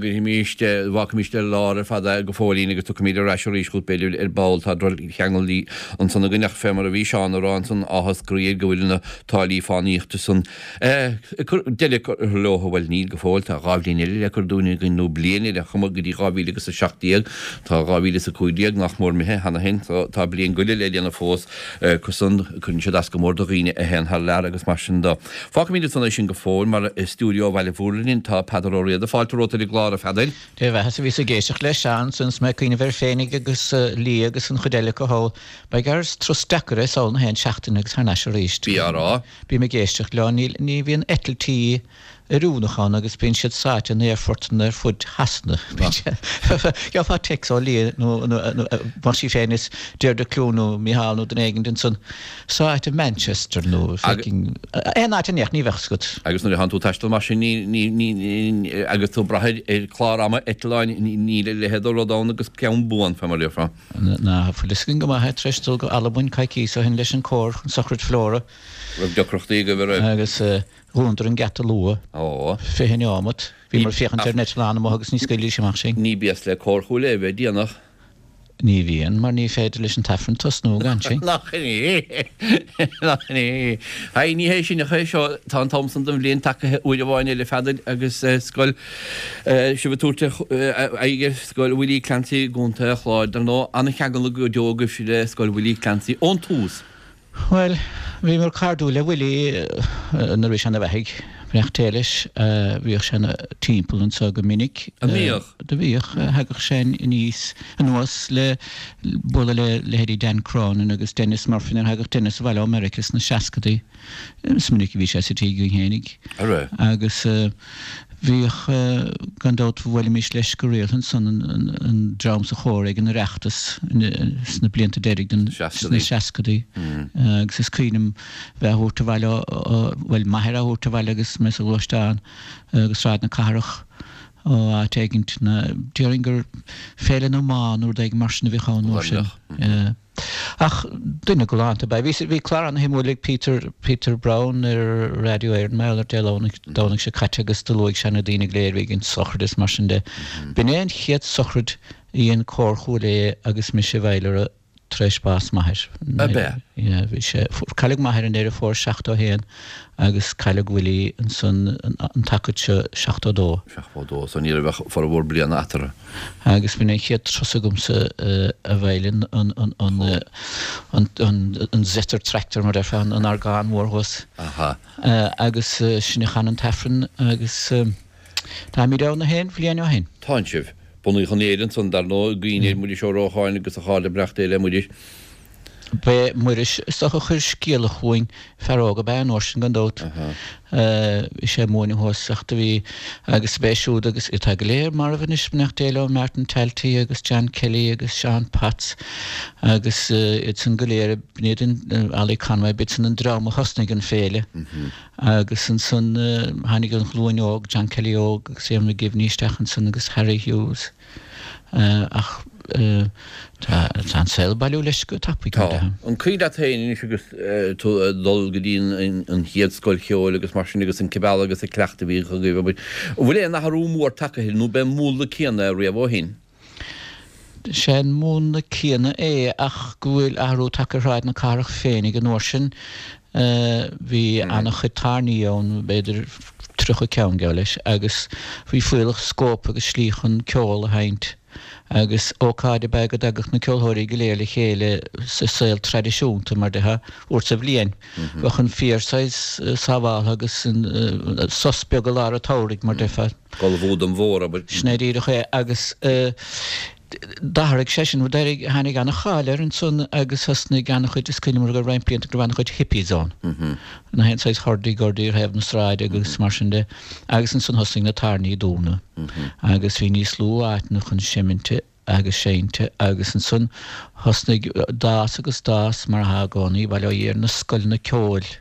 S1: gcuirfimís, bhfágfaimís ar lár ar fad é go fóillín agus tiocfaimid ar ais arís chugat b'fhéidir ar ball. Tá droch-cheangal ansan againn ach fé mar a bhí Seán a rá ansan, áthas croí air go bhfuil na táillí fánaíochta san deireadh curtha leo. Bhuel níl go fóill, tá dhá bhliain eile le cur dúinn againn nó bliain ar aon chuma go dtí dhá mhíle agus a seacht déag. Tá dhá mhíle is a cúig déag nach mór imithe cheana féin so tá bliain go leith le déanamh fós. Acu san, cuireann siad as go mór do dhaoine a théann thar lear agus mar sin de. Fágfaimid ansan é sin go fóill mar i stiúideo Bhaile Mhúirne tá Peadar Ó Riada. Fáilte romhat ar an gclár, a Pheadair.
S5: Dé bheatha, bhíos ag éisteacht le Seán ansan is mé ag cuimhneamh air féinig agus Lia agus an chuid eile acu thall. Ba ghearr is turas deacair é sall na haon seachtaine agus thar n-ais arís.
S1: Bí á rá.
S5: Bím ag éisteacht leo, níl, ní bhíonn eitiltí oiriúnach ann agus bíonn siad sáite in aerfortanna ar fud Shasana. Gheofá téacs ó Lia nó más í féin is Deirdre Clune nó Mícheál nó duine éigin ansan sáite i Manchester nó fucking aon áit in éacht ní bheadh fhios agat.
S1: Agus nuair a thánn tú ag taisteal mar sin ní, ní, ní, agus tú ag brath ar, ar chlár ama eitleáin níl a leithéid de rud ann agus ceann buan, fé mar a déarfá.
S5: Ná fuil fhios againn go maith é tar éis dul go Albain coicíos ó shin leis an cór chun sochraid Flora.
S1: Raibh deacrachtaí agaibh, an raibh?
S5: Agus Dhúnadar an geata luath.
S1: Ó.
S5: Fiche neomat. Bhíomar ag féachaint ar an eitleán amuigh agus ní scaoilfidís amach sinn.
S1: Ní béas le Cór Chúil Aodha a bheith déanach.
S5: Ní bhíonn, mar ní féidir leis an t-aifreann tosnú gan sinn.
S1: Nach in é? Nach in é? Haigh, ní hé sin ach é seo, tá an t-am san den bhliain tagaithe uair amháin eile, a Pheadair, agus scoil sibh ag tabhairt aghaidh ar Scoil Willie Clancy i gContae an Chláir. Dar ndóigh, an-cheangal go deo agaibhse le Scoil Willie Clancy ón tús.
S5: Bhuel, bhíomar cairdiúil le Willie nuair a bhí sé ina bheathaidh, beannacht Dé leis. Bhíodh sé ina timpeall anseo go minic.
S1: An mbíodh?
S5: Do bhíodh. Thagadh sé aníos, anuas le bualadh le leithéidí Dan Cronin agus Denis Murphy nuair a thagadh Denis abhaile ó Meiriceá sna seascadaí. Is minic a bhí sé sa tigh againn fhéinig.
S1: An raibh?
S5: Agus Bhíodh, gan dabht, bhuailimis leis go rialta ansan, an dream sa chór ag an Oireachtas sna blianta deiridh den, sna seascadaí. Agus is cuimhin liom bheith á thabhairt abhaile ó, bhuel, m'athair á thabhairt abhaile agus mé sa ghluaisteán go Sráid na Cathrach ó áit éigint, déarfainn gur Féile na mBan nó rud éigin mar sin a bhíodh ann an uair sin. Ach duine galánta ab ea. Bhí, bhí clár ana-shuimiúil ag Peter, Peter Browne ar Radio Éireann, mar gheall air Dé Domhnaigh, Domhnach seo caite agus do luaigh sé na daoine go léir a bhí ag an sochraid is mar sin de. B'in é an chéad sochraid a dhein Cór Chúil Aodha agus mise i bhfeighil uirthi tar éis bás m'athair.
S1: Ab ea?
S5: Yeah, bhí sé, cailleadh m'athair i nDeireadh Fómhair seachtó a haon agus cailleadh Willie ansan an tacaid seo seachtó a dó.
S1: Seachtó a dó, so ní raibh ach formhór bliana eatarthu.
S5: Agus b'in an chéad turas agamsa a veidhlin, an, an, an, an, an, an Zetter Tractor mar déarfá, an orgán mór thuas.
S1: Aha.
S5: Agus sin a chan an tAifreann agus táimid ann a haon bhliain ó shin.
S1: Tánn sibh. Bunaíodh an fhéile ansan, dar ndóigh, i gcuimhne ar Mhuiris Ó Rócháin agus a chairde beannacht Dé le Muiris.
S5: B'é Muiris is dócha a chuir scéala chugainn, fear óg ab ea an uair sin gan dabht. Bhí sé ag múineadh thuas ach do bhí, agus b'é siúd agus atá go léir marbh anois, beannacht Dé leo, Martin Talty agus John Kelly agus Seán Potts agus iad san go léir, b'in iad an, Ollie Conway, b'iad san an dream a thosnaigh an féile. Agus ansan tháinig an ghlúin óg, John Kelly óg agus Eamon McGivney isteach ansan agus Harry Hughes. Ach tá an saol ag bailiú leis go tapaidh.
S1: Tá. An cuimhin leat féin anois agus tú ag dul go dtí an chéad scoil cheoil agus mar sin agus an cibeal agus an cleachtadh a bhíodh agaibh, an bhfuil aon athrú mór tagtha air nó b'é an múnla céanna é riamh ó shin?
S5: Sé an múnla céanna é ach go bhfuil athrú tagtha ar Shráid na Cathrach féinig an uair sin. Bhí an-chuid tairní ann, b'fhéidir tríocha ceann, geall leis, agus bhí fuíollach scóip agus slí chun ceol a sheinnt agus ócáid ab ea go dtagadh na ceoltóirí go léir le chéile sa saol traidisiúnta, mar déarfá, uair sa bhliain. Bheadh an féar saghas sábháltha agus an sos beag i lár an tsamhraidh, mar déarfá.
S1: Ullmhú don mhórobair.
S5: Sin é díreach é agus d'athraigh sé sin, d'éirigh, tháinig an-cháil air ansan agus thosnaigh an-chuid, is cuimhin liom go raibh roinnt blianta go raibh an-chuid hippies ann, na haon saghas hurdy gurdy ar thaobh na sráide agus mar sin de agus ansan thosnaigh na tairní ag dúnadh agus bhí níos lú áiteanna chun seiminte agus seinnte agus ansan thosnaigh, d'fhás agus d'fhás mar atá i gcónaí, bail ó Dhia air, na scoileanna ceoil.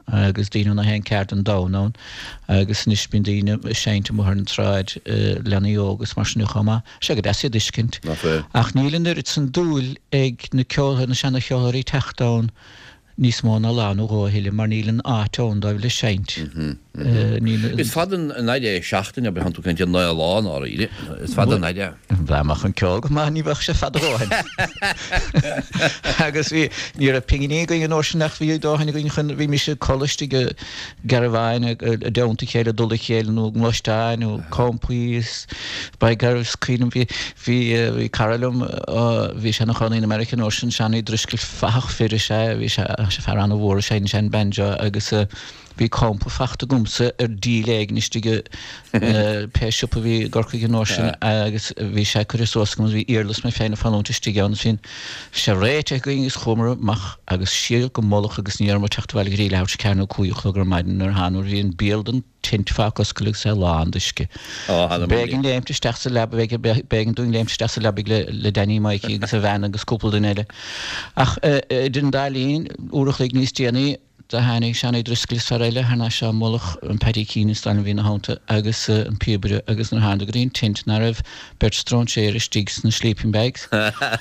S5: agus daoine ó na haon ceard den domhan ann agus anois bíonn daoine ag seinnt amuigh ar an tsráid, leanaí óga is mar sin de chomh maith. Sé go deas iad a fheiscint. Ach níl an oiread san dúil ag na ceoltóirí, na seana-cheoltóirí teacht ann níos mó ná lá nó dhó a thuilleadh mar níl an áit ann dóibh le seinnt.
S1: Níl. Is fada an fhaid é seachtain, abair, tánn tú ag caint ar naoi lá i ndáiríre. Is fada an fhaid é.
S5: Dá mbeadh an ceol go maith ní bheadh sé fada a dhóthain. Agus bhí, ní raibh pinginí againn an uair sin ach bhí dóthain againn chun, bhímis ag codladh istigh i gcarabháin i dteannta a chéile, dul a chéile nó gluaisteáin nó campaí is by gar is cuimhin liom bhí, bhí, bhí cara liom, bhí sé ina chónaí in America an uair sin, Seánie Driscoll, fathach fir is ea, bhí sé, fear an-mhór, seinneann sé an banjo agus Bhí campa fachta agamsa ar díol éigin istigh i pé siopa a bhí i gCorcaigh an uair sin agus bhí sé curtha suas agam agus bhí iarla is mé féin ag fanúint istigh ann agus bhí sé réitithe againn agus chuamar amach agus siar go mullach agus ní rabhamar ag teacht abhaile go dtí leathuair tar éis a ceathair nó cúig a chlog ar maidin nuair a thána nuair a bhí an béal den tint fágtha oscailte agus é lán d'uisce. B'éigean léimt isteach sa leaba, b'éigean dúinn léimt isteach sa leabaidh le Danny Mikey agus a bhean agus cúpla duine eile. Ach idir an dá linn, uair a chloig níos déanaí, Do tháinig Seánie Driscoll is fear eile thar n-ais ón mullach, an Paddy Keane is dóigh liom a bhí ina theannta, agus an píobaire, agus nuair a thánadar go dtí an tint ná raibh beirt stróinséir istigh sna sleeping bags.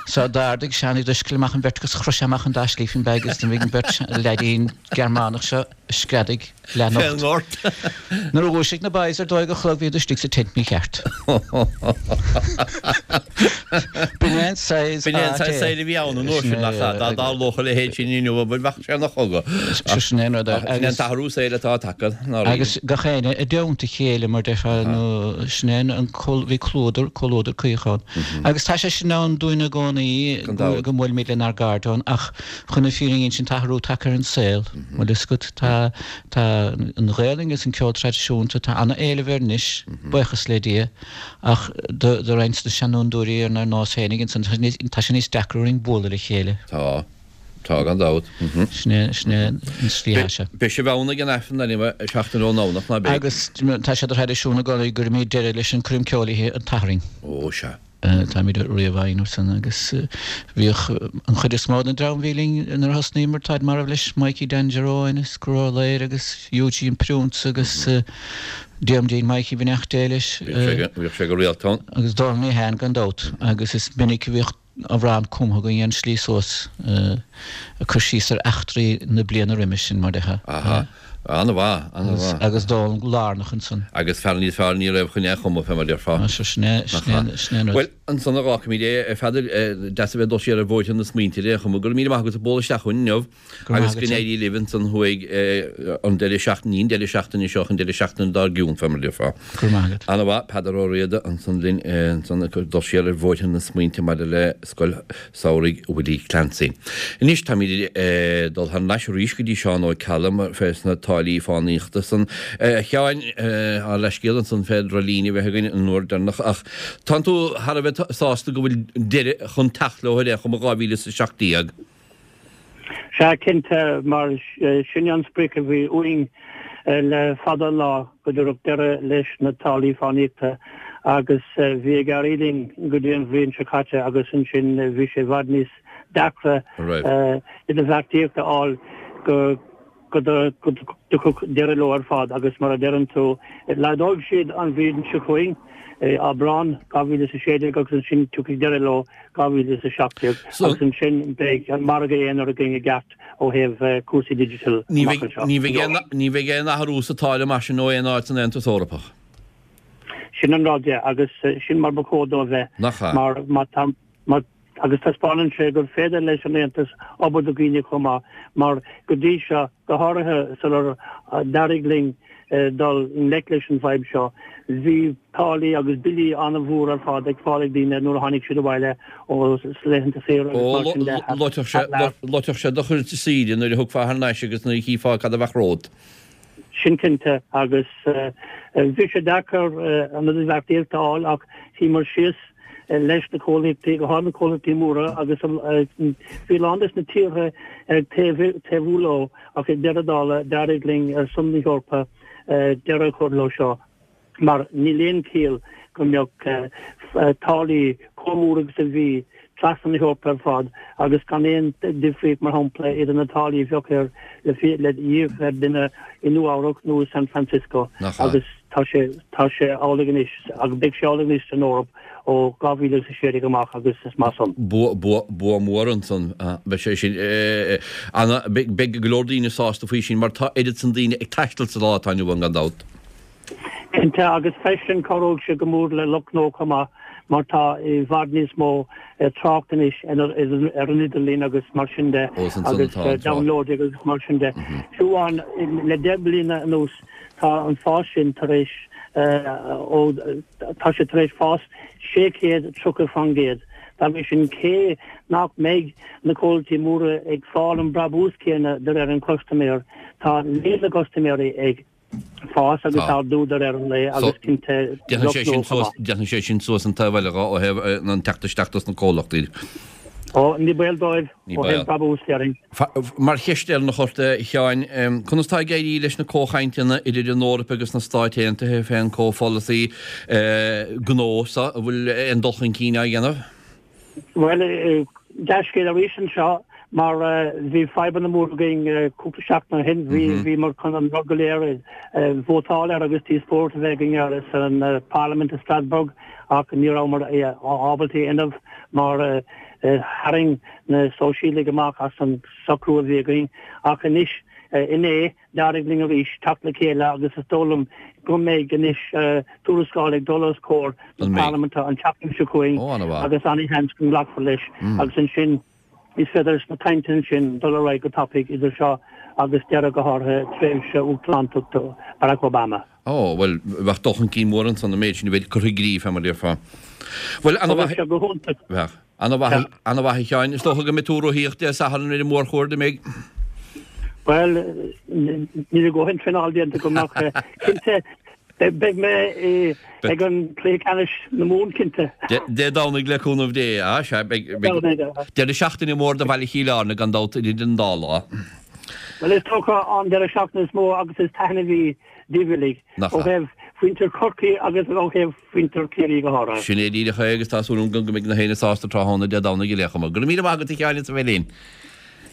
S5: So d'ardaigh Seánie Driscoll amach an bheirt agus chroith sé amach an dá sleeping bag agus do bhí an bheirt leaidín Gearmánach seo ag screadaigh leathnocht. Nuair a dhúisigh na boys ar dó dhéag a chlog bhíodar istigh sa tent mícheart. B'in é an saghas
S1: B'in é an saghas saoil a bhí ann an uair sin, nach ea? Dá dtarlódh a leithéid sin inniu, abair, bheadh sé ina chogadh.
S5: Sin é an rud.
S1: Ach sin é an t-athrú saoil atá tagtha, nár
S5: Agus gach éinne i dteannta a chéile, mar déarfá, nó sin é an, bhí comhluadar, comhluadar caoch ann. Agus tá sé sin ann dúinn i gcónaí, go mbuailimid lenár gcairde ann, ach chun na fírinne a insint, tá athrú tagtha ar an saol, bhfuil fhios agat. Tá, tá an Ghaelainn agus an ceol traidisiúnta, tá ana-éileamh air anois, buíochas le Dia, ach do, do roinnt de na seanfhondúirí ar ár nós féinig ansan, tá sé níos, tá sé níos deacra orainn bualadh le chéile.
S1: Tá. Tá, gan dabht.
S5: Sin é, sin é an tslí atá sé.
S1: Beidh sibh ann ag an Aifreann anyway, seachtain ón nDomhnach, ná beidh?
S5: Agus tá sé de thraidisiún i gcónaí go gcuirimid deireadh leis an Coirm Ceoil oíche an tSathairn.
S1: Ó, sea.
S5: Táimid riamh á dhéanamh san agus bhíodh an chuid is mó den dream a bhí linn nuair a thosnaíomar, táid marbh leis, Mikey Danger Eoin as Gurloir agus Eugene Priúnsa agus Diarmuidín Mikey beannacht Dé leis.
S1: Bhíodh sé go rialta ann.
S5: Agus Dónal Meehan gan dabht agus is minic a bhíodh amhrán cumtha againn ar an slí suas ag cur síos ar eachtraí na bliana roimis sin, mar déarfá.
S1: Aha. An-mhaith, an-mhaith.
S5: Agus dán lárnach ansan.
S1: Agus fear níos fearr ní raibh chun é a chumadh, fé mar a déarfá.
S5: Sea, sin é, sin é, sin é an rud.
S1: Bhuel, ansan a dh'fhágfaimid é, a Pheadair, deas a bheith ag dul siar ar bhóithre na smaointe ar aon chuma. Go raibh míle maith agat as bualadh isteach chugainn inniu.
S5: Go raibh
S1: Agus
S5: maith
S1: go
S5: agat.
S1: n-éirí libh ansan thuaidh an deireadh seachtaine, ní an deireadh seachtaine seo, an deireadh seachtaine dár gcionn, fé mar a déarfá.
S5: Go raibh maith agat.
S1: An-mhaith, Peadar Ó Riada ansan linn ansan ag dul siar ar bhóithre na smaointe maidir le Scoil Samhraidh Willie Clancy. Anois táimid ag dul thar n-ais arís go dtí Seán Ó Ceallaigh mar fé sna táillí fánaíochta san. A Sheáin, ár leithscéal ansan fé droch-líne a bheith againn an uair deireanach ach tánn tú thar a bheith sásta go bhfuil deireadh chun teacht leo ar aon chuma dhá mhíle is a seacht déag.
S4: Sea, cinnte, mar sin an sprioc a bhí uainn le fada an lá, go dtabharfadh deireadh leis na táillí fánaíochta agus bhí ag éirí linn go dtí an bhliain seo caite agus ansin bhí sé i bhfad níos deacra idirbheartaíocht a fháil go go dtiocfadh deireadh leo ar fad agus mar a deireann tú, laghdóidh siad an bhliain seo chugainn, Aibreán dhá mhíle is a sé déag agus ansin tiocfaidh deireadh leo dhá mhíle is a seacht déag agus ansin beidh an margadh aonair againn i gceart ó thaobh cúrsaí digital amach anseo.
S1: Ní bheidh aon athrú sa táille mar sin ó aon áit san Aontas Eorpach.
S4: Sin an rud, yeah, agus sin mar ba chóir dó a bheith.
S1: Nach ea?
S4: Mar má tá, má, agus taispeánann sé gur féidir leis an Aontas obair do dhaoine chomh maith, mar go dtí seo, go háirithe sular d'éirigh linn dul i ngleic leis an bhfadhb seo, bhí táillí agus billí an-mhór ar fad ag fáil ag daoine nuair a tháinig siad abhaile ó laethanta saoire agus mar sin de.
S1: Ó, loitfeadh sé, loitfeadh sé do chuid saoire nuair a thiocfá thar n-ais agus nuair a chífeá cad a bheadh romhat.
S4: Sin cinnte, agus bhí sé deacair an idirbheartaíocht a fháil ach shuíomar síos leis na comhlachtaí, go háirithe na comhlachtaí móra, agus bhí a lán des na tíortha ag taobhú leo ach ag deireadh dála d'éirigh linn ar son na hEorpa deireadh a chur leo seo mar níl aon chiall go mbeadh táillí chomh mór agus a bhí trasna na hEorpa ar fad agus gan aon difríocht, mar shampla, idir na táillí a bheadh ar le híoc ar duine i Nua-Eabhrac nó i San Francisco agus tá sé tá sé amhlaidh anois agus beidh sé amhlaidh anois san Eoraip ó dhá mhíle is a sé déag amach agus is maith san.
S1: Bua bua bua mór ansan. Beidh sé sin ana beidh go leor daoine sásta faoi sin mar tá oiread san daoine ag taisteal sa lá atá inniu ann gan dabht.
S4: Cinnte, agus freisin cabhróidh sé go mór le lucht gnó chomh maith mar tá i bhfad níos mó trácht anois ar an idirlíon agus mar sin de agus downloading agus mar sin de. Fiú amháin le deich mbliana anuas tá an fás sin tar éis ó tá sé tar éis fás sé chéad tríocha faoin gcéad. Dá bhrí sin cé nach mbeidh na comhlachtaí móra ag fáil an brabús céanna de réir an chustaiméir, tá líon na gcustaiméirí ag fás agus ardú de réir an lae agus cinnte
S1: Déanfaidh sé sin suas, déanfaidh sé sin suas an taobh eile ó thaobh an teacht isteach dos na comhlachtaí.
S4: Ó, ní baol dóibh
S1: Ní
S4: ó
S1: baol.
S4: thaobh brabús, déarfainn.
S1: Mar cheist dheireanach ort, a Sheáin, conas tá ag éirí leis na comhchainteanna idir an Eoraip agus na Stáit Aontaithe fén comhpholasaí gnó so? An bhfuil aon dul chun cinn á dhéanamh?
S4: Bhuel, dea-scéal arís anseo mar bhí fadhbanna móra againn cúpla seachtain ó shin. Bhí, bhíomar chun an rud go léir a vótáil air agus díospóireacht a bheith againn air san Parlaimint i Strasbourg ach ní rabhamar ábalta é a dhéanamh mar tharraing na Sóisialaigh amach as an socrú a bhí againn. Ach anois, inné, D'éirigh linn arís teacht le chéile agus is dóigh liom go mbeidh anois tuarascáil ag dul os comhair na Parlaiminte an tseachtain seo chugainn agus an-sheans go nglacfar leis agus ansin is féidir leis na cainteanna sin dul ar aghaidh go tapaidh idir seo agus deireadh go háirithe tréimhse uachtaránachta Barack Obama.
S1: Ó, bhuel, bheadh dul chun cinn mór ansan an méid sin a bheith curtha i gcrích, fé mar a déarfá. Bhuel,
S4: ana-mhaith. Bheadh sé go hiontach.
S1: Bheadh. Ana-mhaith, ana-mhaith a Sheáin. Is dócha go mbeidh tú ag rothaíocht Dé Sathairn ar an mórchuaird, an mbeidh?
S4: Bhuel, níl a dhóthain traenáil déanta agam ach cinnte beidh mé ag an cluiche ceannais na Mumhan, cinnte.
S1: Dé Domhnaigh le cúnamh Dé, á sea, beidh deireadh seachtaine mór do bhaile Chill Airne gan dabht idir an dá lá.
S4: Bhuel, is dócha an deireadh seachtaine is mó agus is taitneamhaí díobh uilig, ó thaobh mhuintir Chorcaí agus ó thaobh mhuintir Chiarraí go háirithe.
S1: Sin é díreach é agus tá súil agam go mbeidh na héinne sásta tráthnóna Dé Domhnaigh ar aon chuma. Go raibh míle maith agat a Sheáin as a bheith linn.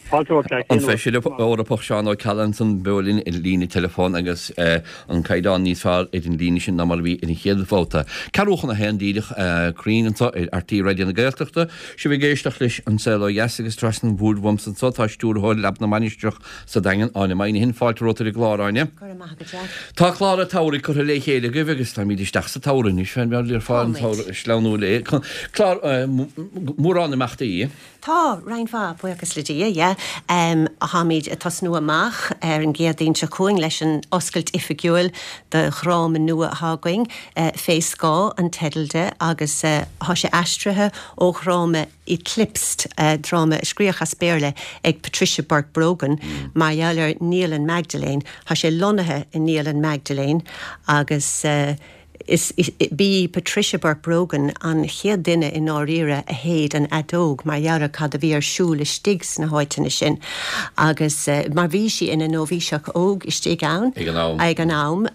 S4: Fáilte romhat, Jack.
S1: An Feisire Eorpach Seán Ó Ceallaigh ansan beo linn ar líne teileafóin agus an caighdeán níos fearr ar an líne sin ná mar a bhí ar an chéad bhabhta. Ceathrú chun a haon díreach cruinn anseo ar RTÉ Raidió na Gaeltachta. Sibh ag éisteacht leis An Saol Ó Dheas agus trasna an bhoird uaimse anseo tá stiúrthóir Leaba na Mainistreach sa Daingean, Áine Moynihan. Fáilte romhat ar an gclár, Áine.
S6: Go raibh maith agat, Jack.
S1: Tá clár an tsamhraidh curtha le chéile agaibh agus táimid isteach sa tsamhradh anois, fén mbeár le fáil an tsamhradh ag sleamhnú léi. Clár mórán imeachtaí.
S6: Tá, roinnt mhaith, buíochas le Dia, yeah. Táimid ag tosnú amach ar an gCéadaoin seo chugainn leis an oscailt oifigiúil do dhráma nua atá againn, Fé Scáth an teideal de agus tá sé aistrithe ó dhráma Eclipsed, dráma a scríodh as Béarla ag Patricia Burke Brogan mar gheall ar Naíolann Magdalene. Tá sé lonnaithe i Naíolann Magdalene agus. Is b'í Patricia Burke Brogan an chéad duine i ndáiríre a shéid an fheadóg mar gheall ar cad a bhí ar siúl istigh sna háiteanna sin agus mar bhí sí ina nóibhíseach óg istigh ann ag an am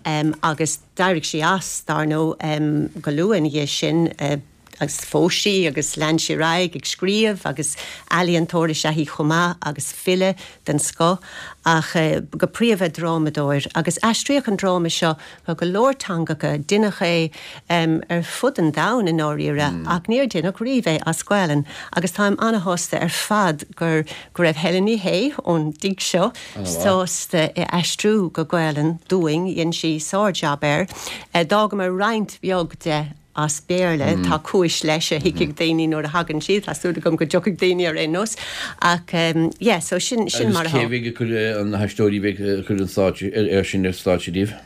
S6: agus d'éirigh sí as, dar ndóigh, go luath ina dhiaidh sin. Agus phós sí agus lean sí ar aghaidh ag scríobh agus ealaíontóir is ea í chomh maith agus file den scoth ach go príomha drámadóir. Agus aistríodh an dráma seo go go leor teangacha, deineadh é ar fud an domhain i ndáiríre ach níor deineadh riamh é as Gaelainn agus táim ana-shásta ar fad gur go raibh Helen Ní Shé ón dtigh seo sásta é aistriú go Gaelainn dúinn, dhein sí sár-jab air. D'fhágamar roinnt bheag de as Béarla. Tá cúis leis a thuigfidh daoine nuair a thagann siad. Tá súil agam go dtiocfaidh daoine ar aon nós. Ach yeah, so sin, sin mar
S1: atá. Agus cé bheidh ag cur na haisteoirí a bheidh ag cur an stáitse, ar sin ar stáitse daoibh?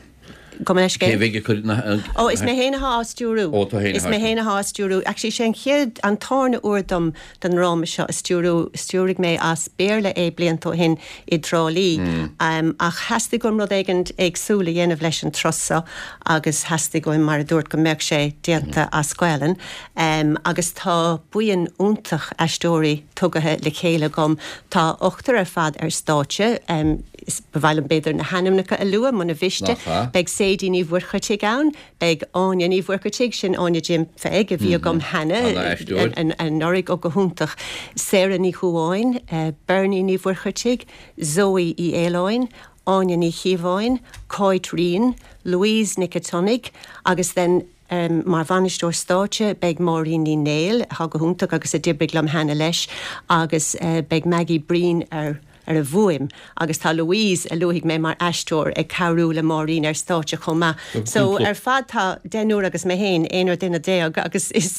S6: Gabh mo leithscéal?
S1: Cé bheidh ag cur na.
S6: Ó, is mé féin atá á stiúrú.
S1: Ó, tú féin
S6: Is mé féin atá á stiúrú. Actually, sé an chéad, an tarna uair dom don ndráma seo a stiúrú. Stiúraigh mé as Béarla é blianta ó shin i dTrá Lí. Ach theastaigh uaim rud éigin éagsúil a dhéanamh leis an turas seo agus theastaigh uaim, mar a dúirt, go mbeadh sé déanta as Gaelainn. Agus tá buíon iontach aisteoirí tugaithe le chéile agam. Tá ochtar ar fad ar stáitse. Is ba mhaith liom b'fhéidir na hainmneacha a lua, muna mhiste. Beidh Sadie Ní Mhuircheartaigh ann, beidh Áine Ní Mhuircheartaigh, sin Áine Jim Pheig a bhí agam cheana anuraidh, ó go hiontach, Sarah Ní Dhubháin, Bernie Ní Mhuircheartaigh, Zoe Uí Fhaoláin, Áine Ní Chíobháin, Cáit Ryan, Louise Nic a' tSionnaigh agus then mar bhainisteoir stáitse beidh Máirín Ní Néill, atá go hiontach agus a d'oibrigh liom cheana leis, agus beidh Maggie Breen ar ar an bhfuaim agus tá Louise, a luafaidh mé mar aisteoir, ag cabhrú le Máirín ar stáitse chomh maith. So ar fad tá deichniúr agus mé féin, aonar duine déag agus is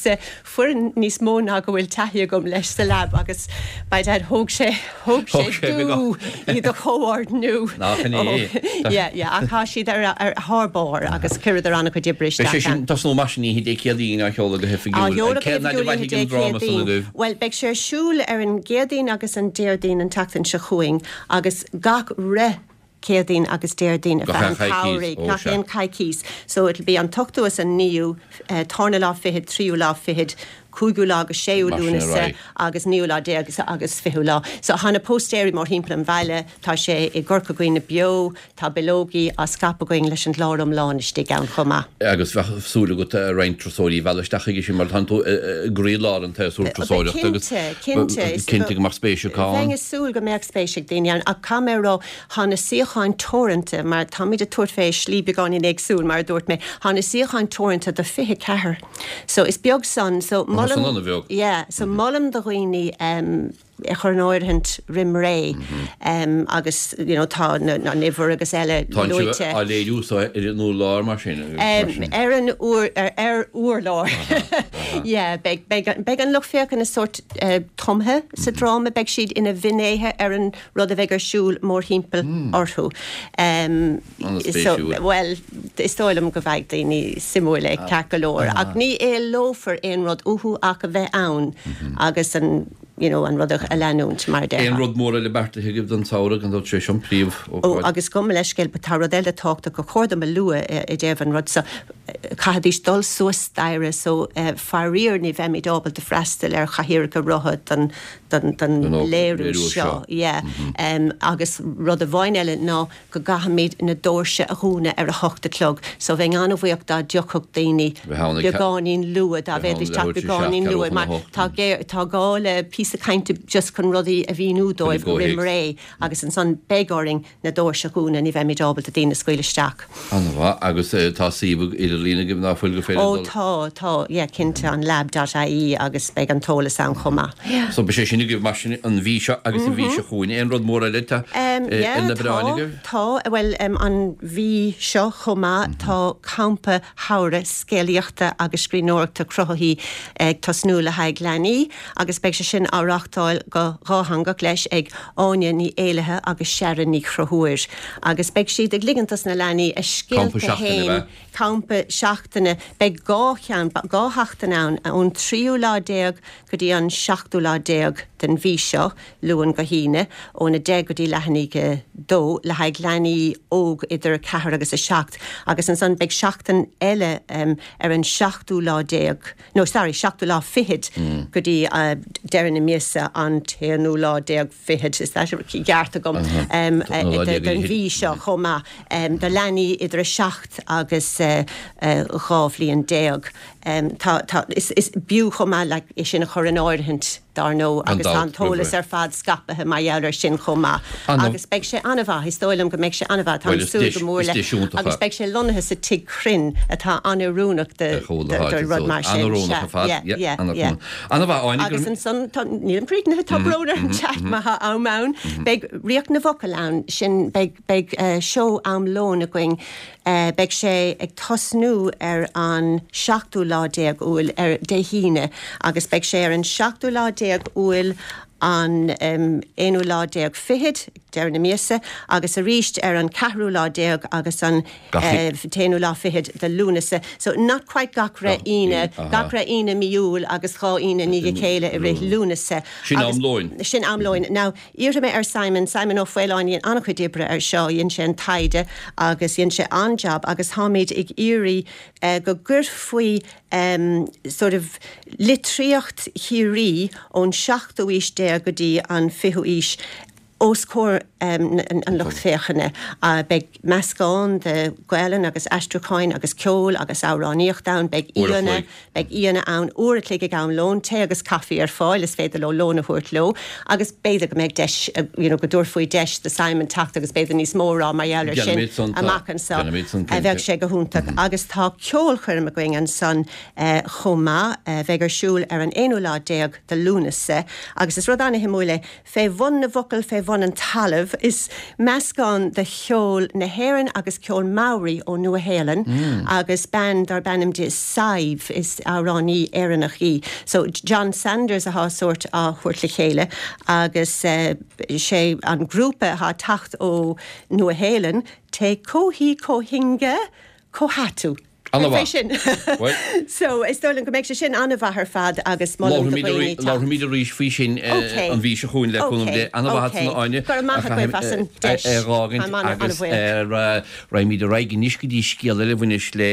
S6: foireann níos mó ná go bhfuil taithí agam leis sa lab agus by dad thóg sé, thóg sé dú iad a chomhordnú.
S1: Nach in é?
S6: Yeah, yeah, ach tá siad ar, ar thar barr agus chuireadar an-chuid oibre
S1: Beidh sé
S6: isteach
S1: sin
S6: ann.
S1: tosnú mar sin oíche Dé Céadaoin á sheoladh go
S6: Á
S1: hoifigiúil.
S6: sheoladh go
S1: Cén fhad a
S6: hoifigiúil oíche
S1: mhairfidh
S6: Dé
S1: an dráma san
S6: Céadaoin.
S1: agaibh?
S6: Bhuel, beidh sé ar siúl ar an gCéadaoin agus an Déardaoin an tseachtain seo chugainn agus gach re Céadaoin agus Déardaoin ar
S1: Gach
S6: feadh
S1: aon
S6: an
S1: choicís,
S6: tsamhraidh,
S1: ó
S6: gach
S1: sea.
S6: aon choicís. So it'll be an t-ochtú is an naoú, tarna lá fichead, tríú lá fichead, cúigiú lá agus séú
S1: Mar sin ar
S6: Lúnasa
S1: aghaidh.
S6: agus naoú lá déag agus fichiú lá. So tá na póstaeirí mórthimpeall an bhaile, tá sé i gCorca Dhuibhne Beo, Tá bileogaí á scaipeadh againn leis an gclár iomlán istigh ann chomh maith.
S1: Agus bheadh súil agat roinnt turasóirí a mhealladh isteach chuige sin mar tánn tú i gcroílár an tséasúir turasóireachta agus
S6: Cinnte, cinnte.
S1: cinnte go mbeadh spéis acu ann.
S6: Bheinn ag súil go mbeadh spéis ag daoine ann ach caithfidh mé a rá, tá na suíocháin teoranta mar táimid ag tabhairt fé slí beagáinín éagsúil mar a dúirt mé, tá na suíocháin teoranta do fiche ceathair so is beag san so
S1: Tá san
S6: molaim,
S1: an-bheag.
S6: yeah, so molaim do dhaoine a chur in áirithint roim ré agus you know tá an uimhir agus eile
S1: Tá sibh
S6: luaite.
S1: á léiriú so ar an urlár mar sin agus mar sin.
S6: Ar an ur, ar urlár. Yeah, beidh, beidh, beidh an lucht féachana sórt tumtha sa dráma, beidh siad ina bhfinnéithe ar an rud a bheidh ar siúl mórthimpeall orthu.
S1: An-spéisiúil.
S6: Bhuel, is dóigh liom go bhfaighidh daoine suimiúil é ceart go leor, ach ní éileofar aon rud uathu ach a bheith ann agus an you know, an rud a leanúint, mar a
S1: Aon
S6: déarfá.
S1: rud mór eile beartaithe agaibh don samhradh, gan dabht sé seo an
S6: Ó,
S1: príomh-ócáid.
S6: agus gabh mo leithscéal, but tá rud eile tábhachtach gur chóir dom a lua i dtaobh an rud seo. Caithfidís dul suas staighre so faraor ní bheimid ábalta freastal ar chathaoireacha rotha don don don léiriú seo. Yeah. Agus rud amháin eile ná go gcaithfimid na doirse a dhúnadh ar a hocht a chlog so bheinn an-bhuíoch dá dtiocfadh daoine beagáinín luath, dá bhféadfaidís teacht beagáinín luath mar tá tá gá le píosa cainte just chun rudaí a mhíniú dóibh roimh ré agus ansan beidh orainn na doirse a dhúnadh, ní bheimid ábalta daoine a scaoileadh isteach.
S1: An-mhaith, agus tá suíomh idirlín agaibh ná fuil gur féidir
S6: dul? Ó tá, tá, yeah, cinnte, an lab dot ie agus beidh an t-eolas ann chomh maith. Yeah.
S1: So beidh sé sin agaibh mar sin an mhí seo agus an mhí seo chugainn. Aon rud mór eile atá ar na bioráin agaibh?
S6: Tá, bhuel an mhí seo chomh maith tá campa samhraidh scéalaíochta agus scríbhneoireachta cruthaithí ag tosnú le haghaidh leanaí agus beidh sé sin á reáchtáil go dhátheangach leis ag Áine Ní Éallaithe agus Sharon Ní Chonchúir agus beidh siad ag ligint dos na leanaí a scéalta féin, campa seachtaine, beidh dhá cheann, dhá sheachtain ann, ón tríú lá déag go dtí an seachtú lá déag den mhí seo, Luan go hAoine, óna deich go dtí leath i ndiaidh a dó, le haghaidh leanaí óg idir a ceathair agus a seacht, agus ansan beidh seachtain eile ar an seachtú lá déag, no sorry, seachtú lá fichead go dtí deireadh na míosa, an t-aonú lá déag fichead, is that ceart agam, den mhí seo chomh maith, do leanaí idir a seacht agus dhá bhliain déag. Tá, tá, is, is b'fhiú chomh maith like é sin a chur in áirithint, dar ndóigh, agus tá an t-eolas ar fad scaipthe mar gheall air sin chomh maith. Agus beidh sé an-mhaith, is dóigh liom go mbeidh sé an-mhaith, táim ag súil go mór leis. Agus beidh sé lonnaithe sa Tigh Cruinn atá an-oiriúnach do, do rud mar sin.
S1: An-oiriúnach ar fad, yeah, yeah, yeah. An-mhaith, Áine,
S6: Agus ansan, tá, nílim críochnaithe, tá brón orm, Jack, má tá am ann. Beidh Ríocht na bhFocal ann, sin, beidh, beidh seó am lóin againn, Beidh sé ag tosnú ar an seachtú lá déag Iúil, ar Dé hAoine, agus beidh sé ar an seachtú lá déag Iúil, an aonú lá déag fichead, deireadh na míosa, agus arís ar an ceathrú lá déag agus an t-aonú lá fichead de Lúnasa. So not quite gach re Aoine, gach re Aoine mí Iúil agus dhá Aoine i ndiaidh a chéile i rith Lúnasa.
S1: Sin am lóin.
S6: Sin am lóin. Now, Iarrfaidh mé ar Simon, Simon Ó Faoláin, dhein an-chuid oibre ar seo, dhein sé an taighde agus dhein sé an-jab agus táimid ag iarraidh go gcuirfí sort of litríocht Chiarraí ón seachtú aois déag go dtí an fichiú aois os comhair an lucht féachana. Beidh meascán de Ghaelainn agus aistriúcháin agus ceol agus amhránaíocht ann, beidh aíonna, Beidh aíonna ann uair a chloig ag am lóin, tae agus caife ar fáil, is féidir leo lón a thabhairt leo agus b'fhéidir go mbeidh deis, you know, go dtabharfaí deis do Simon teacht agus b'fhéidir níos mó a rá mar gheall air sin amach anseo. Bheadh sé go hiontach. Agus tá ceolchoirm againn ansan chomh maith, a bheidh ar siúl ar an aonú lá déag de Lúnasa agus is rud an-shuimiúil é, Fé bhun na bhfocal, fé bhun an talaimh. Is meascán de cheol na hÉireann agus ceol Maori ó Nua-Shéalainn agus bean darb ainm di Sadhbh, is amhránaí Éireannach í. So John Sanders atá sórt á thabhairt le chéile agus sé an grúpa atá ag teacht ó Nua-Shéalainn, Te Kohi Kohinga Kohatu.
S1: An-mhaith.
S6: Sin. So, is dóigh liom go mbeidh sé sin an-mhaith ar fad agus molaim do dhaoine teacht.
S1: Labharfaimid arís faoi sin an mhí seo chugainn le cúnamh Dé. An-mhaith ansan a Áine.
S6: Go raibh maith agaibh as an deis.
S1: A dh'fhágaint agus raghaimid ar aghaidh anois go dtí scéal eile a bhaineas le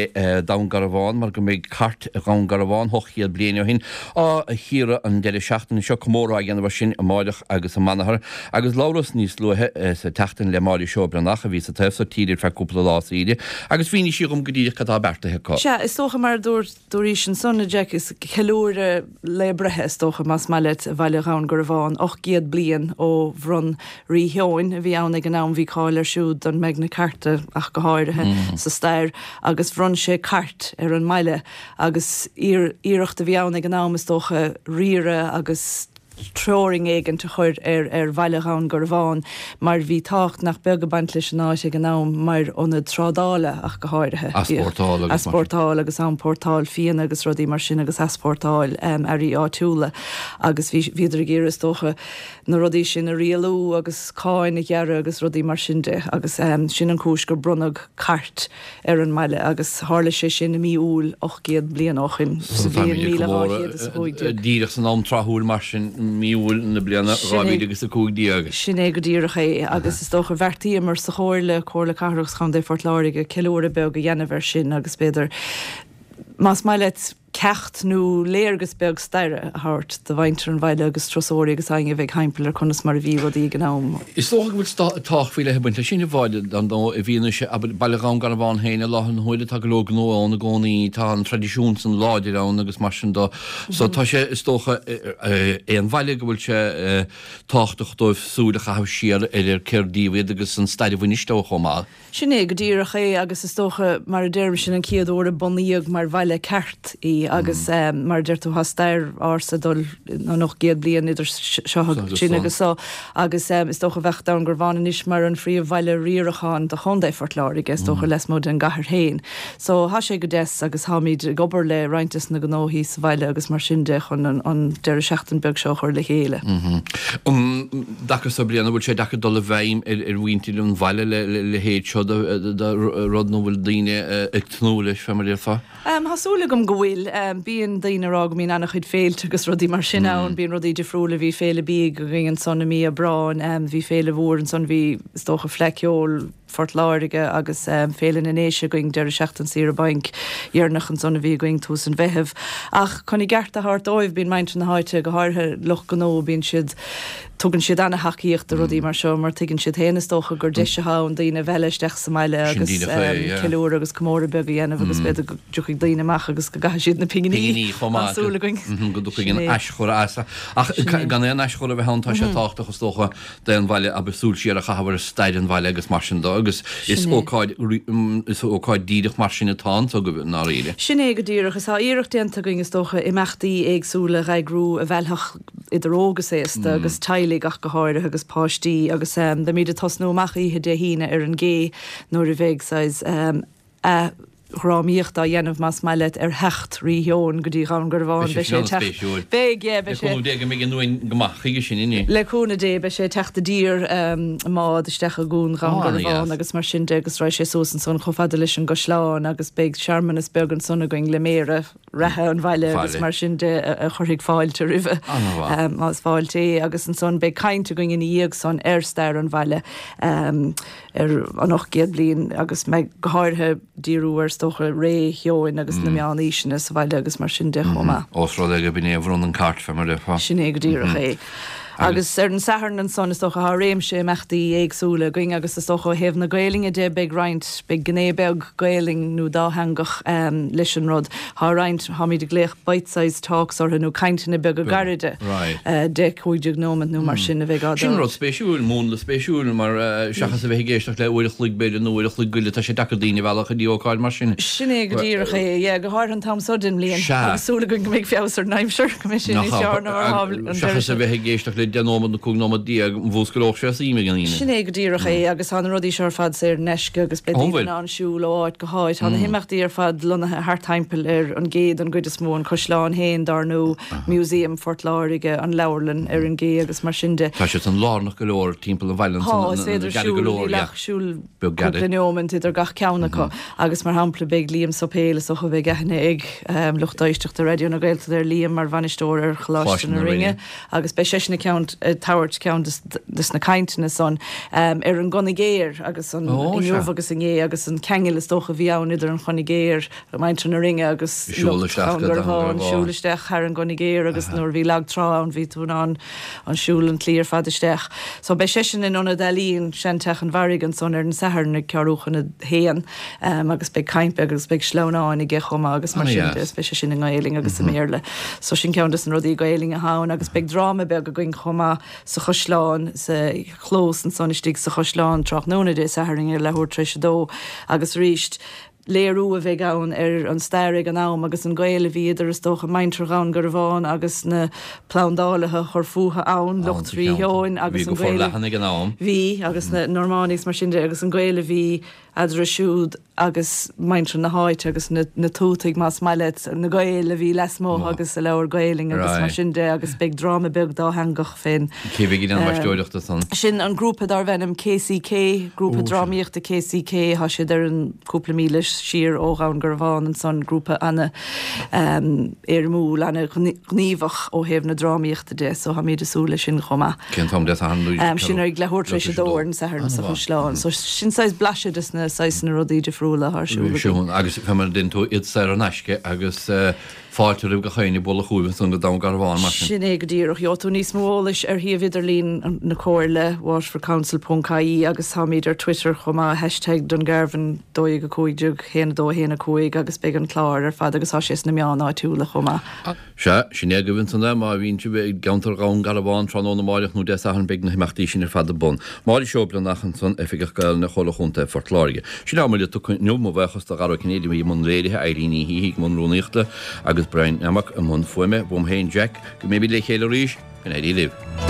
S1: Dún Garbhán mar go mbeidh Cairt Dhún Garbhán ocht gcéad bliain ó shin á chíoradh an deireadh seachtaine seo, comóradh á dhéanamh air sin amáireach agus amanathar. Agus labhras níos luaithe sa tseachtain le Máire Seó Breathnach a bhí sa taobh so tíre ar feadh cúpla lá saoire agus mhínigh sí dhom go díreach cad tá beartaithe acu.
S7: Sea, is dócha, mar a dúirt, dúraís ansan, a Jack, is ceiliúradh lae breithe, is dócha, más maith leat, bhaile Dhún Garbhán, ocht gcéad bliain ó bhronn Rí Sheoin, a bhí ann ag an am, bhí cáil air siúd don Magna Carta ach go háirithe, sa stair, agus bhronn sé cairt ar an mbaile agus iarracht a bhí ann ag an am, is dócha, riaradh agus. teorainn éigint a chur ar ar bhaile Dhún Garbhán mar bhí tábhacht nach beag ag baint leis an áit ag an am mar ionad trádála ach go háirithe.
S1: Easpórtáil agus mar sin.
S7: Easpórtáil agus iompórtáil fíona agus rudaí mar sin agus easpórtáil earraí áitiúla agus bhí bhíodar ag iarraidh is dócha na rudaí sin a rialú agus cáin a ghearradh agus rudaí mar sin de agus sin an chúis gur bronnadh cairt ar an mbaile agus tharla sé sin i mí Iúil ocht gcéad bliain ó shin, sa bhliain míle dhá chéad is a cúig déag.
S1: Díreach san am tráthúil mar sin, mí Iúil na bliana
S7: Sin
S1: dhá
S7: é.
S1: mhíle agus a cúig déag.
S7: Sin é go díreach é agus is dócha bheartaíomar sa chomhairle, Comhairle Cathrach agus Chontae Phort Láirge, ceiliúradh beag a dhéanamh air sin agus b'fhéidir más maith leat ceacht nó léargas beag staire a thabhairt do mhuintir an bhaile agus turasóirí agus éinne a bheidh thimpeall ar conas mar a bhí rudaí ag an am.
S1: Is dócha go bhfuil tábhacht faoi leith ag baint leis sin a Mháire, dar ndóigh, i bhfianaise Baile Dhún Garbhán féin i láthair na huaire, tá go leor gnó ann i gcónaí, tá an traidisiún san láidir ann agus mar sin de. So tá sé, is dócha, aon bhaile go bhfuil sé tábhachtach dóibh súil a chaitheamh siar ar ar cér díobh iad agus an stair a bhaineas leo chomh maith.
S7: Sin é go díreach é agus is dócha, mar a deirim, sin an chéad uair a bunaíodh mar bhaile ceart í agus mar a deir tú tá stair ársa dul an ocht gcéad bliain idir seo sin agus so agus is dócha bheadh Dún Garbhán anois mar an phríomhbhaile riaracháin do Chontae Phort Láirge, is dócha lasmuigh den gcathair féin. So tá sé go deas agus táimid ag obair le roinnt des na gnóthaí sa bhaile agus mar sin de chun an an deireadh seachtain beag seo a chur le chéile.
S1: Um dtaca so bliana bhfuil sé deacair dul i bhfeidhm ar ar mhuintir an bhaile le le leithéid seo de de rud nó bhfuil daoine ag tnúth leis fé mar a déarfá?
S7: Um, Tá súil agam go bhfuil. Um, bíonn daoine ag rá go mbíonn an-chuid féilte agus rudaí mar sin ann, bíonn rudaí difriúla, bhí féile bídh againn ansan i mí Aibreáin, um, bhí féile mhór ansan, bhí is dócha Fleadh Cheoil Phort Láirge agus um, Féile na nDéise againn deireadh seachtain saoire bainc dheireanach ansan a bhí againn tús an Mheithimh. Ach chun i gceart a thabhairt dóibh bíonn muintir na háite go háirithe lucht gnó bíonn siad tugann siad an-tacaíocht do rudaí mar seo mar tuigeann siad féin is dócha gur deis atá ann daoine a mhealladh isteach sa mbaile agus ceiliúradh agus comóradh beag a dhéanamh agus b'fhéidir go dtiocfaidh daoine amach agus go gcaithfidh siad na pinginí.
S1: Pinginí chomh maith.
S7: Tá súil againn.
S1: Go dtiocfaidh an aischur as. Ach gan aon aischur a bheith ann tá sé tábhachtach is dócha d'aon bhaile abair súil siar a chaitheamh ar stair an bhaile agus mar sin de agus is ócáid is ócáid díreach mar sin atá anso agaibh i ndáiríre.
S7: Sin é go díreach. Is tá iarracht déanta againn is dócha imeachtaí éagsúla a eagrú a mheallfadh idir óg is aosta agus teaghlaigh ach go háirithe agus páistí agus beimid ag tosnú amach oíche Dé hAoine ar an gcé nuair a bheidh saghas athdhrámaíocht á dhéanamh más maith leat ar theacht Rí Sheoin go dtí Dhún Garbhán.
S1: Beidh sé sin an-spéisiúil.
S7: Beidh, yeah, beidh
S1: sé. Le cúnamh Dé go mbeidh an uain go maith chuige sin inné.
S7: Le cúnamh Dé beidh sé ag teacht i dtír i mbád isteach i gCuan Dhún Garbhán agus mar sin de agus raghaidh sé suas ansan chomh fada leis an gcaisleán agus beidh searmanas beag ansan againn le méara reatha an bhaile agus mar sin de a chuirfidh fáilte roimhe más fáilte é agus ansan beidh caint againn ina dhiaidh san ar stair an bhaile ar an ocht gcéad bliain agus mbeidh go háirithe díriú ar is dócha ré Sheoin agus na meánaoiseanna sa bhaile agus mar sin de chomh maith.
S1: Ós rud é gurb in é a bhronn an cairt fé mar a déarfá.
S7: Sin é go díreach é. Agus ar an Satharn ansan is dócha tá réimse imeachtaí éagsúla againn agus is dócha ó thaobh na Gaelainne de beidh roinnt, beidh gné beag Gaelainn nó dátheangach leis an rud. Tá roinnt, táimid ag glaoch bite-sized talks orthu nó cainteanna beaga gairide, deich, cúig déag nóiméad nó mar sin a bheidh á
S1: Sin rud spéisiúil, múnla spéisiúil mar seachas a bheith ag éisteacht le uair a chloig b'fhéidir nó uair a chloig go leith tá sé deacair daoine a mhealladh go dtí ócáid mar sin.
S7: Sin é go díreach é, yeah, go háirithe an t-am seo den mbliain.
S1: Sea.
S7: Agus súil againn go mbeidh feabhas ar an aimsir, go mbeidh sé níos fearr ná mar atá an deireadh
S1: Seachas a bheith ag éisteacht le deich nóiméad nó cúig nóiméad déag, mhúsclódh sé suim ag an aoinne.
S7: Sin é go díreach é agus tá na rudaí seo ar fad saor in aisce agus beidh daoine in ann siúl ó áit go háit. Tá na himeachtaí ar fad lonnaithe thart timpeall ar an gcé don gcuid is mó, an caisleán féin dar ndóigh, Museum Phort Láirge, an leabharlann ar an gcé agus mar sin de.
S1: Tá siad san lárnach go leor timpeall an bhaile
S7: Tá, is féidir siúl, níl ach siúl cúpla nóiméad idir gach ceann acu agus mar shampla beidh Liam Suipéil, is dócha beidh aithne ag lucht éisteachta Raidió na Gaeltachta ar Liam mar bhainisteoir ar Choláiste na Rinne agus beidh seisean ag tabhairt ceann de na cainteanna san ar an gConigéir agus an inniu agus inné agus an ceangal is dócha a bhí ann idir an Chonigéir, muintir na Rinne agus lucht Dhún Garbhán, siúl isteach thar an gConigéir agus nuair a bhí lag trá ann bhí tú in ann an siúl an tslí ar fad isteach. So beidh seisean in Ionad Ealaíon Seanteach an Bharraigh ansan ar an Satharn ag ceathrú chun a haon agus beidh caint beag agus beidh sleamhnáin aige chomh maith agus mar sin de is beidh sé sin i nGaelainn agus i mBéarla. So sin ceann des na rudaí Gaelainne atá ann agus beidh dráma beag againn chomh maith sa chaisleán, sa chlós ansan istigh sa chaisleán tráthnóna Dé Sathairn ar leathuair tar éis a dó agus arís léiriú a bheidh ann ar an stair ag an am agus an gaol a bhí idir is dócha muintir Dhún Garbhán agus na plandálaithe a chuir fúthu ann, lucht Rí Sheoin agus an gaol a
S1: ag an am.
S7: bhí agus na Normánaigh is mar sin de agus an gaol a bhí eadarthu siúd agus muintir na háite agus na na tuataigh más maith leat, na Gaeil a bhí lasmuigh agus a labhair Gaelainn agus mar sin de agus beidh dráma beag dátheangach fén.
S1: Cé bheidh ag déanamh aisteoireachta san?
S7: Sin an grúpa darbh ainm KCK, grúpa drámaíochta KCK, tá siad ar an cúpla míle siar ó Dhún Garbhán ansan, grúpa ana éirimiúil, ana ghníomhach ó thaobh na drámaíochta de, so táimid ag súil leis sin chomh maith.
S1: Cén t-am Dé Sathairn?
S7: Sin ag leathuair tar éis a dó ar an Satharn sa Chaisleán. So sin saghas blaiseadh des na saghsanna rudaí difriúla atá ar siúl
S1: againn. Agus fé mar a deir tú, iad saor in aisce agus fáilte roimh gach éinne bualadh chugaibh ansan go Dún Garbhán mar
S7: sin. Sin é go díreach. Gheobhaidh tú níos mó eolais ar shuíomh idirlín na Comhairle, waterfordcouncil ponc ie agus táimid ar Twitter chomh maith, hashtag Dungarvan dó dhéag a cúig déag haon a dó a haon a cúig agus beidh an clár ar fad agus tá sé sna meáin áitiúla chomh maith.
S1: Sea, sin é agaibh ansan é, má bhíonn sibh i gceantar Dhún Garbhán tráthnóna amáireach nó Dé Sathairn beidh na himeachtaí sin ar fad ar bun. Máire Seoibleanach ansan, Oifigeach Gaelainne Chomhairle Chontae Phort Láirge. Sin ár mbuille tugtha inniu, mo bhuíochas do Dhara Ó Cinnéide a bhí i mbun léirithe, Eileen Ní hÍthigh i mbun rúnaíochta agus Brian Nammock i mbun fuaime. Uaim féin, Jack, go mbeimid le chéile arís, go n-éirí libh.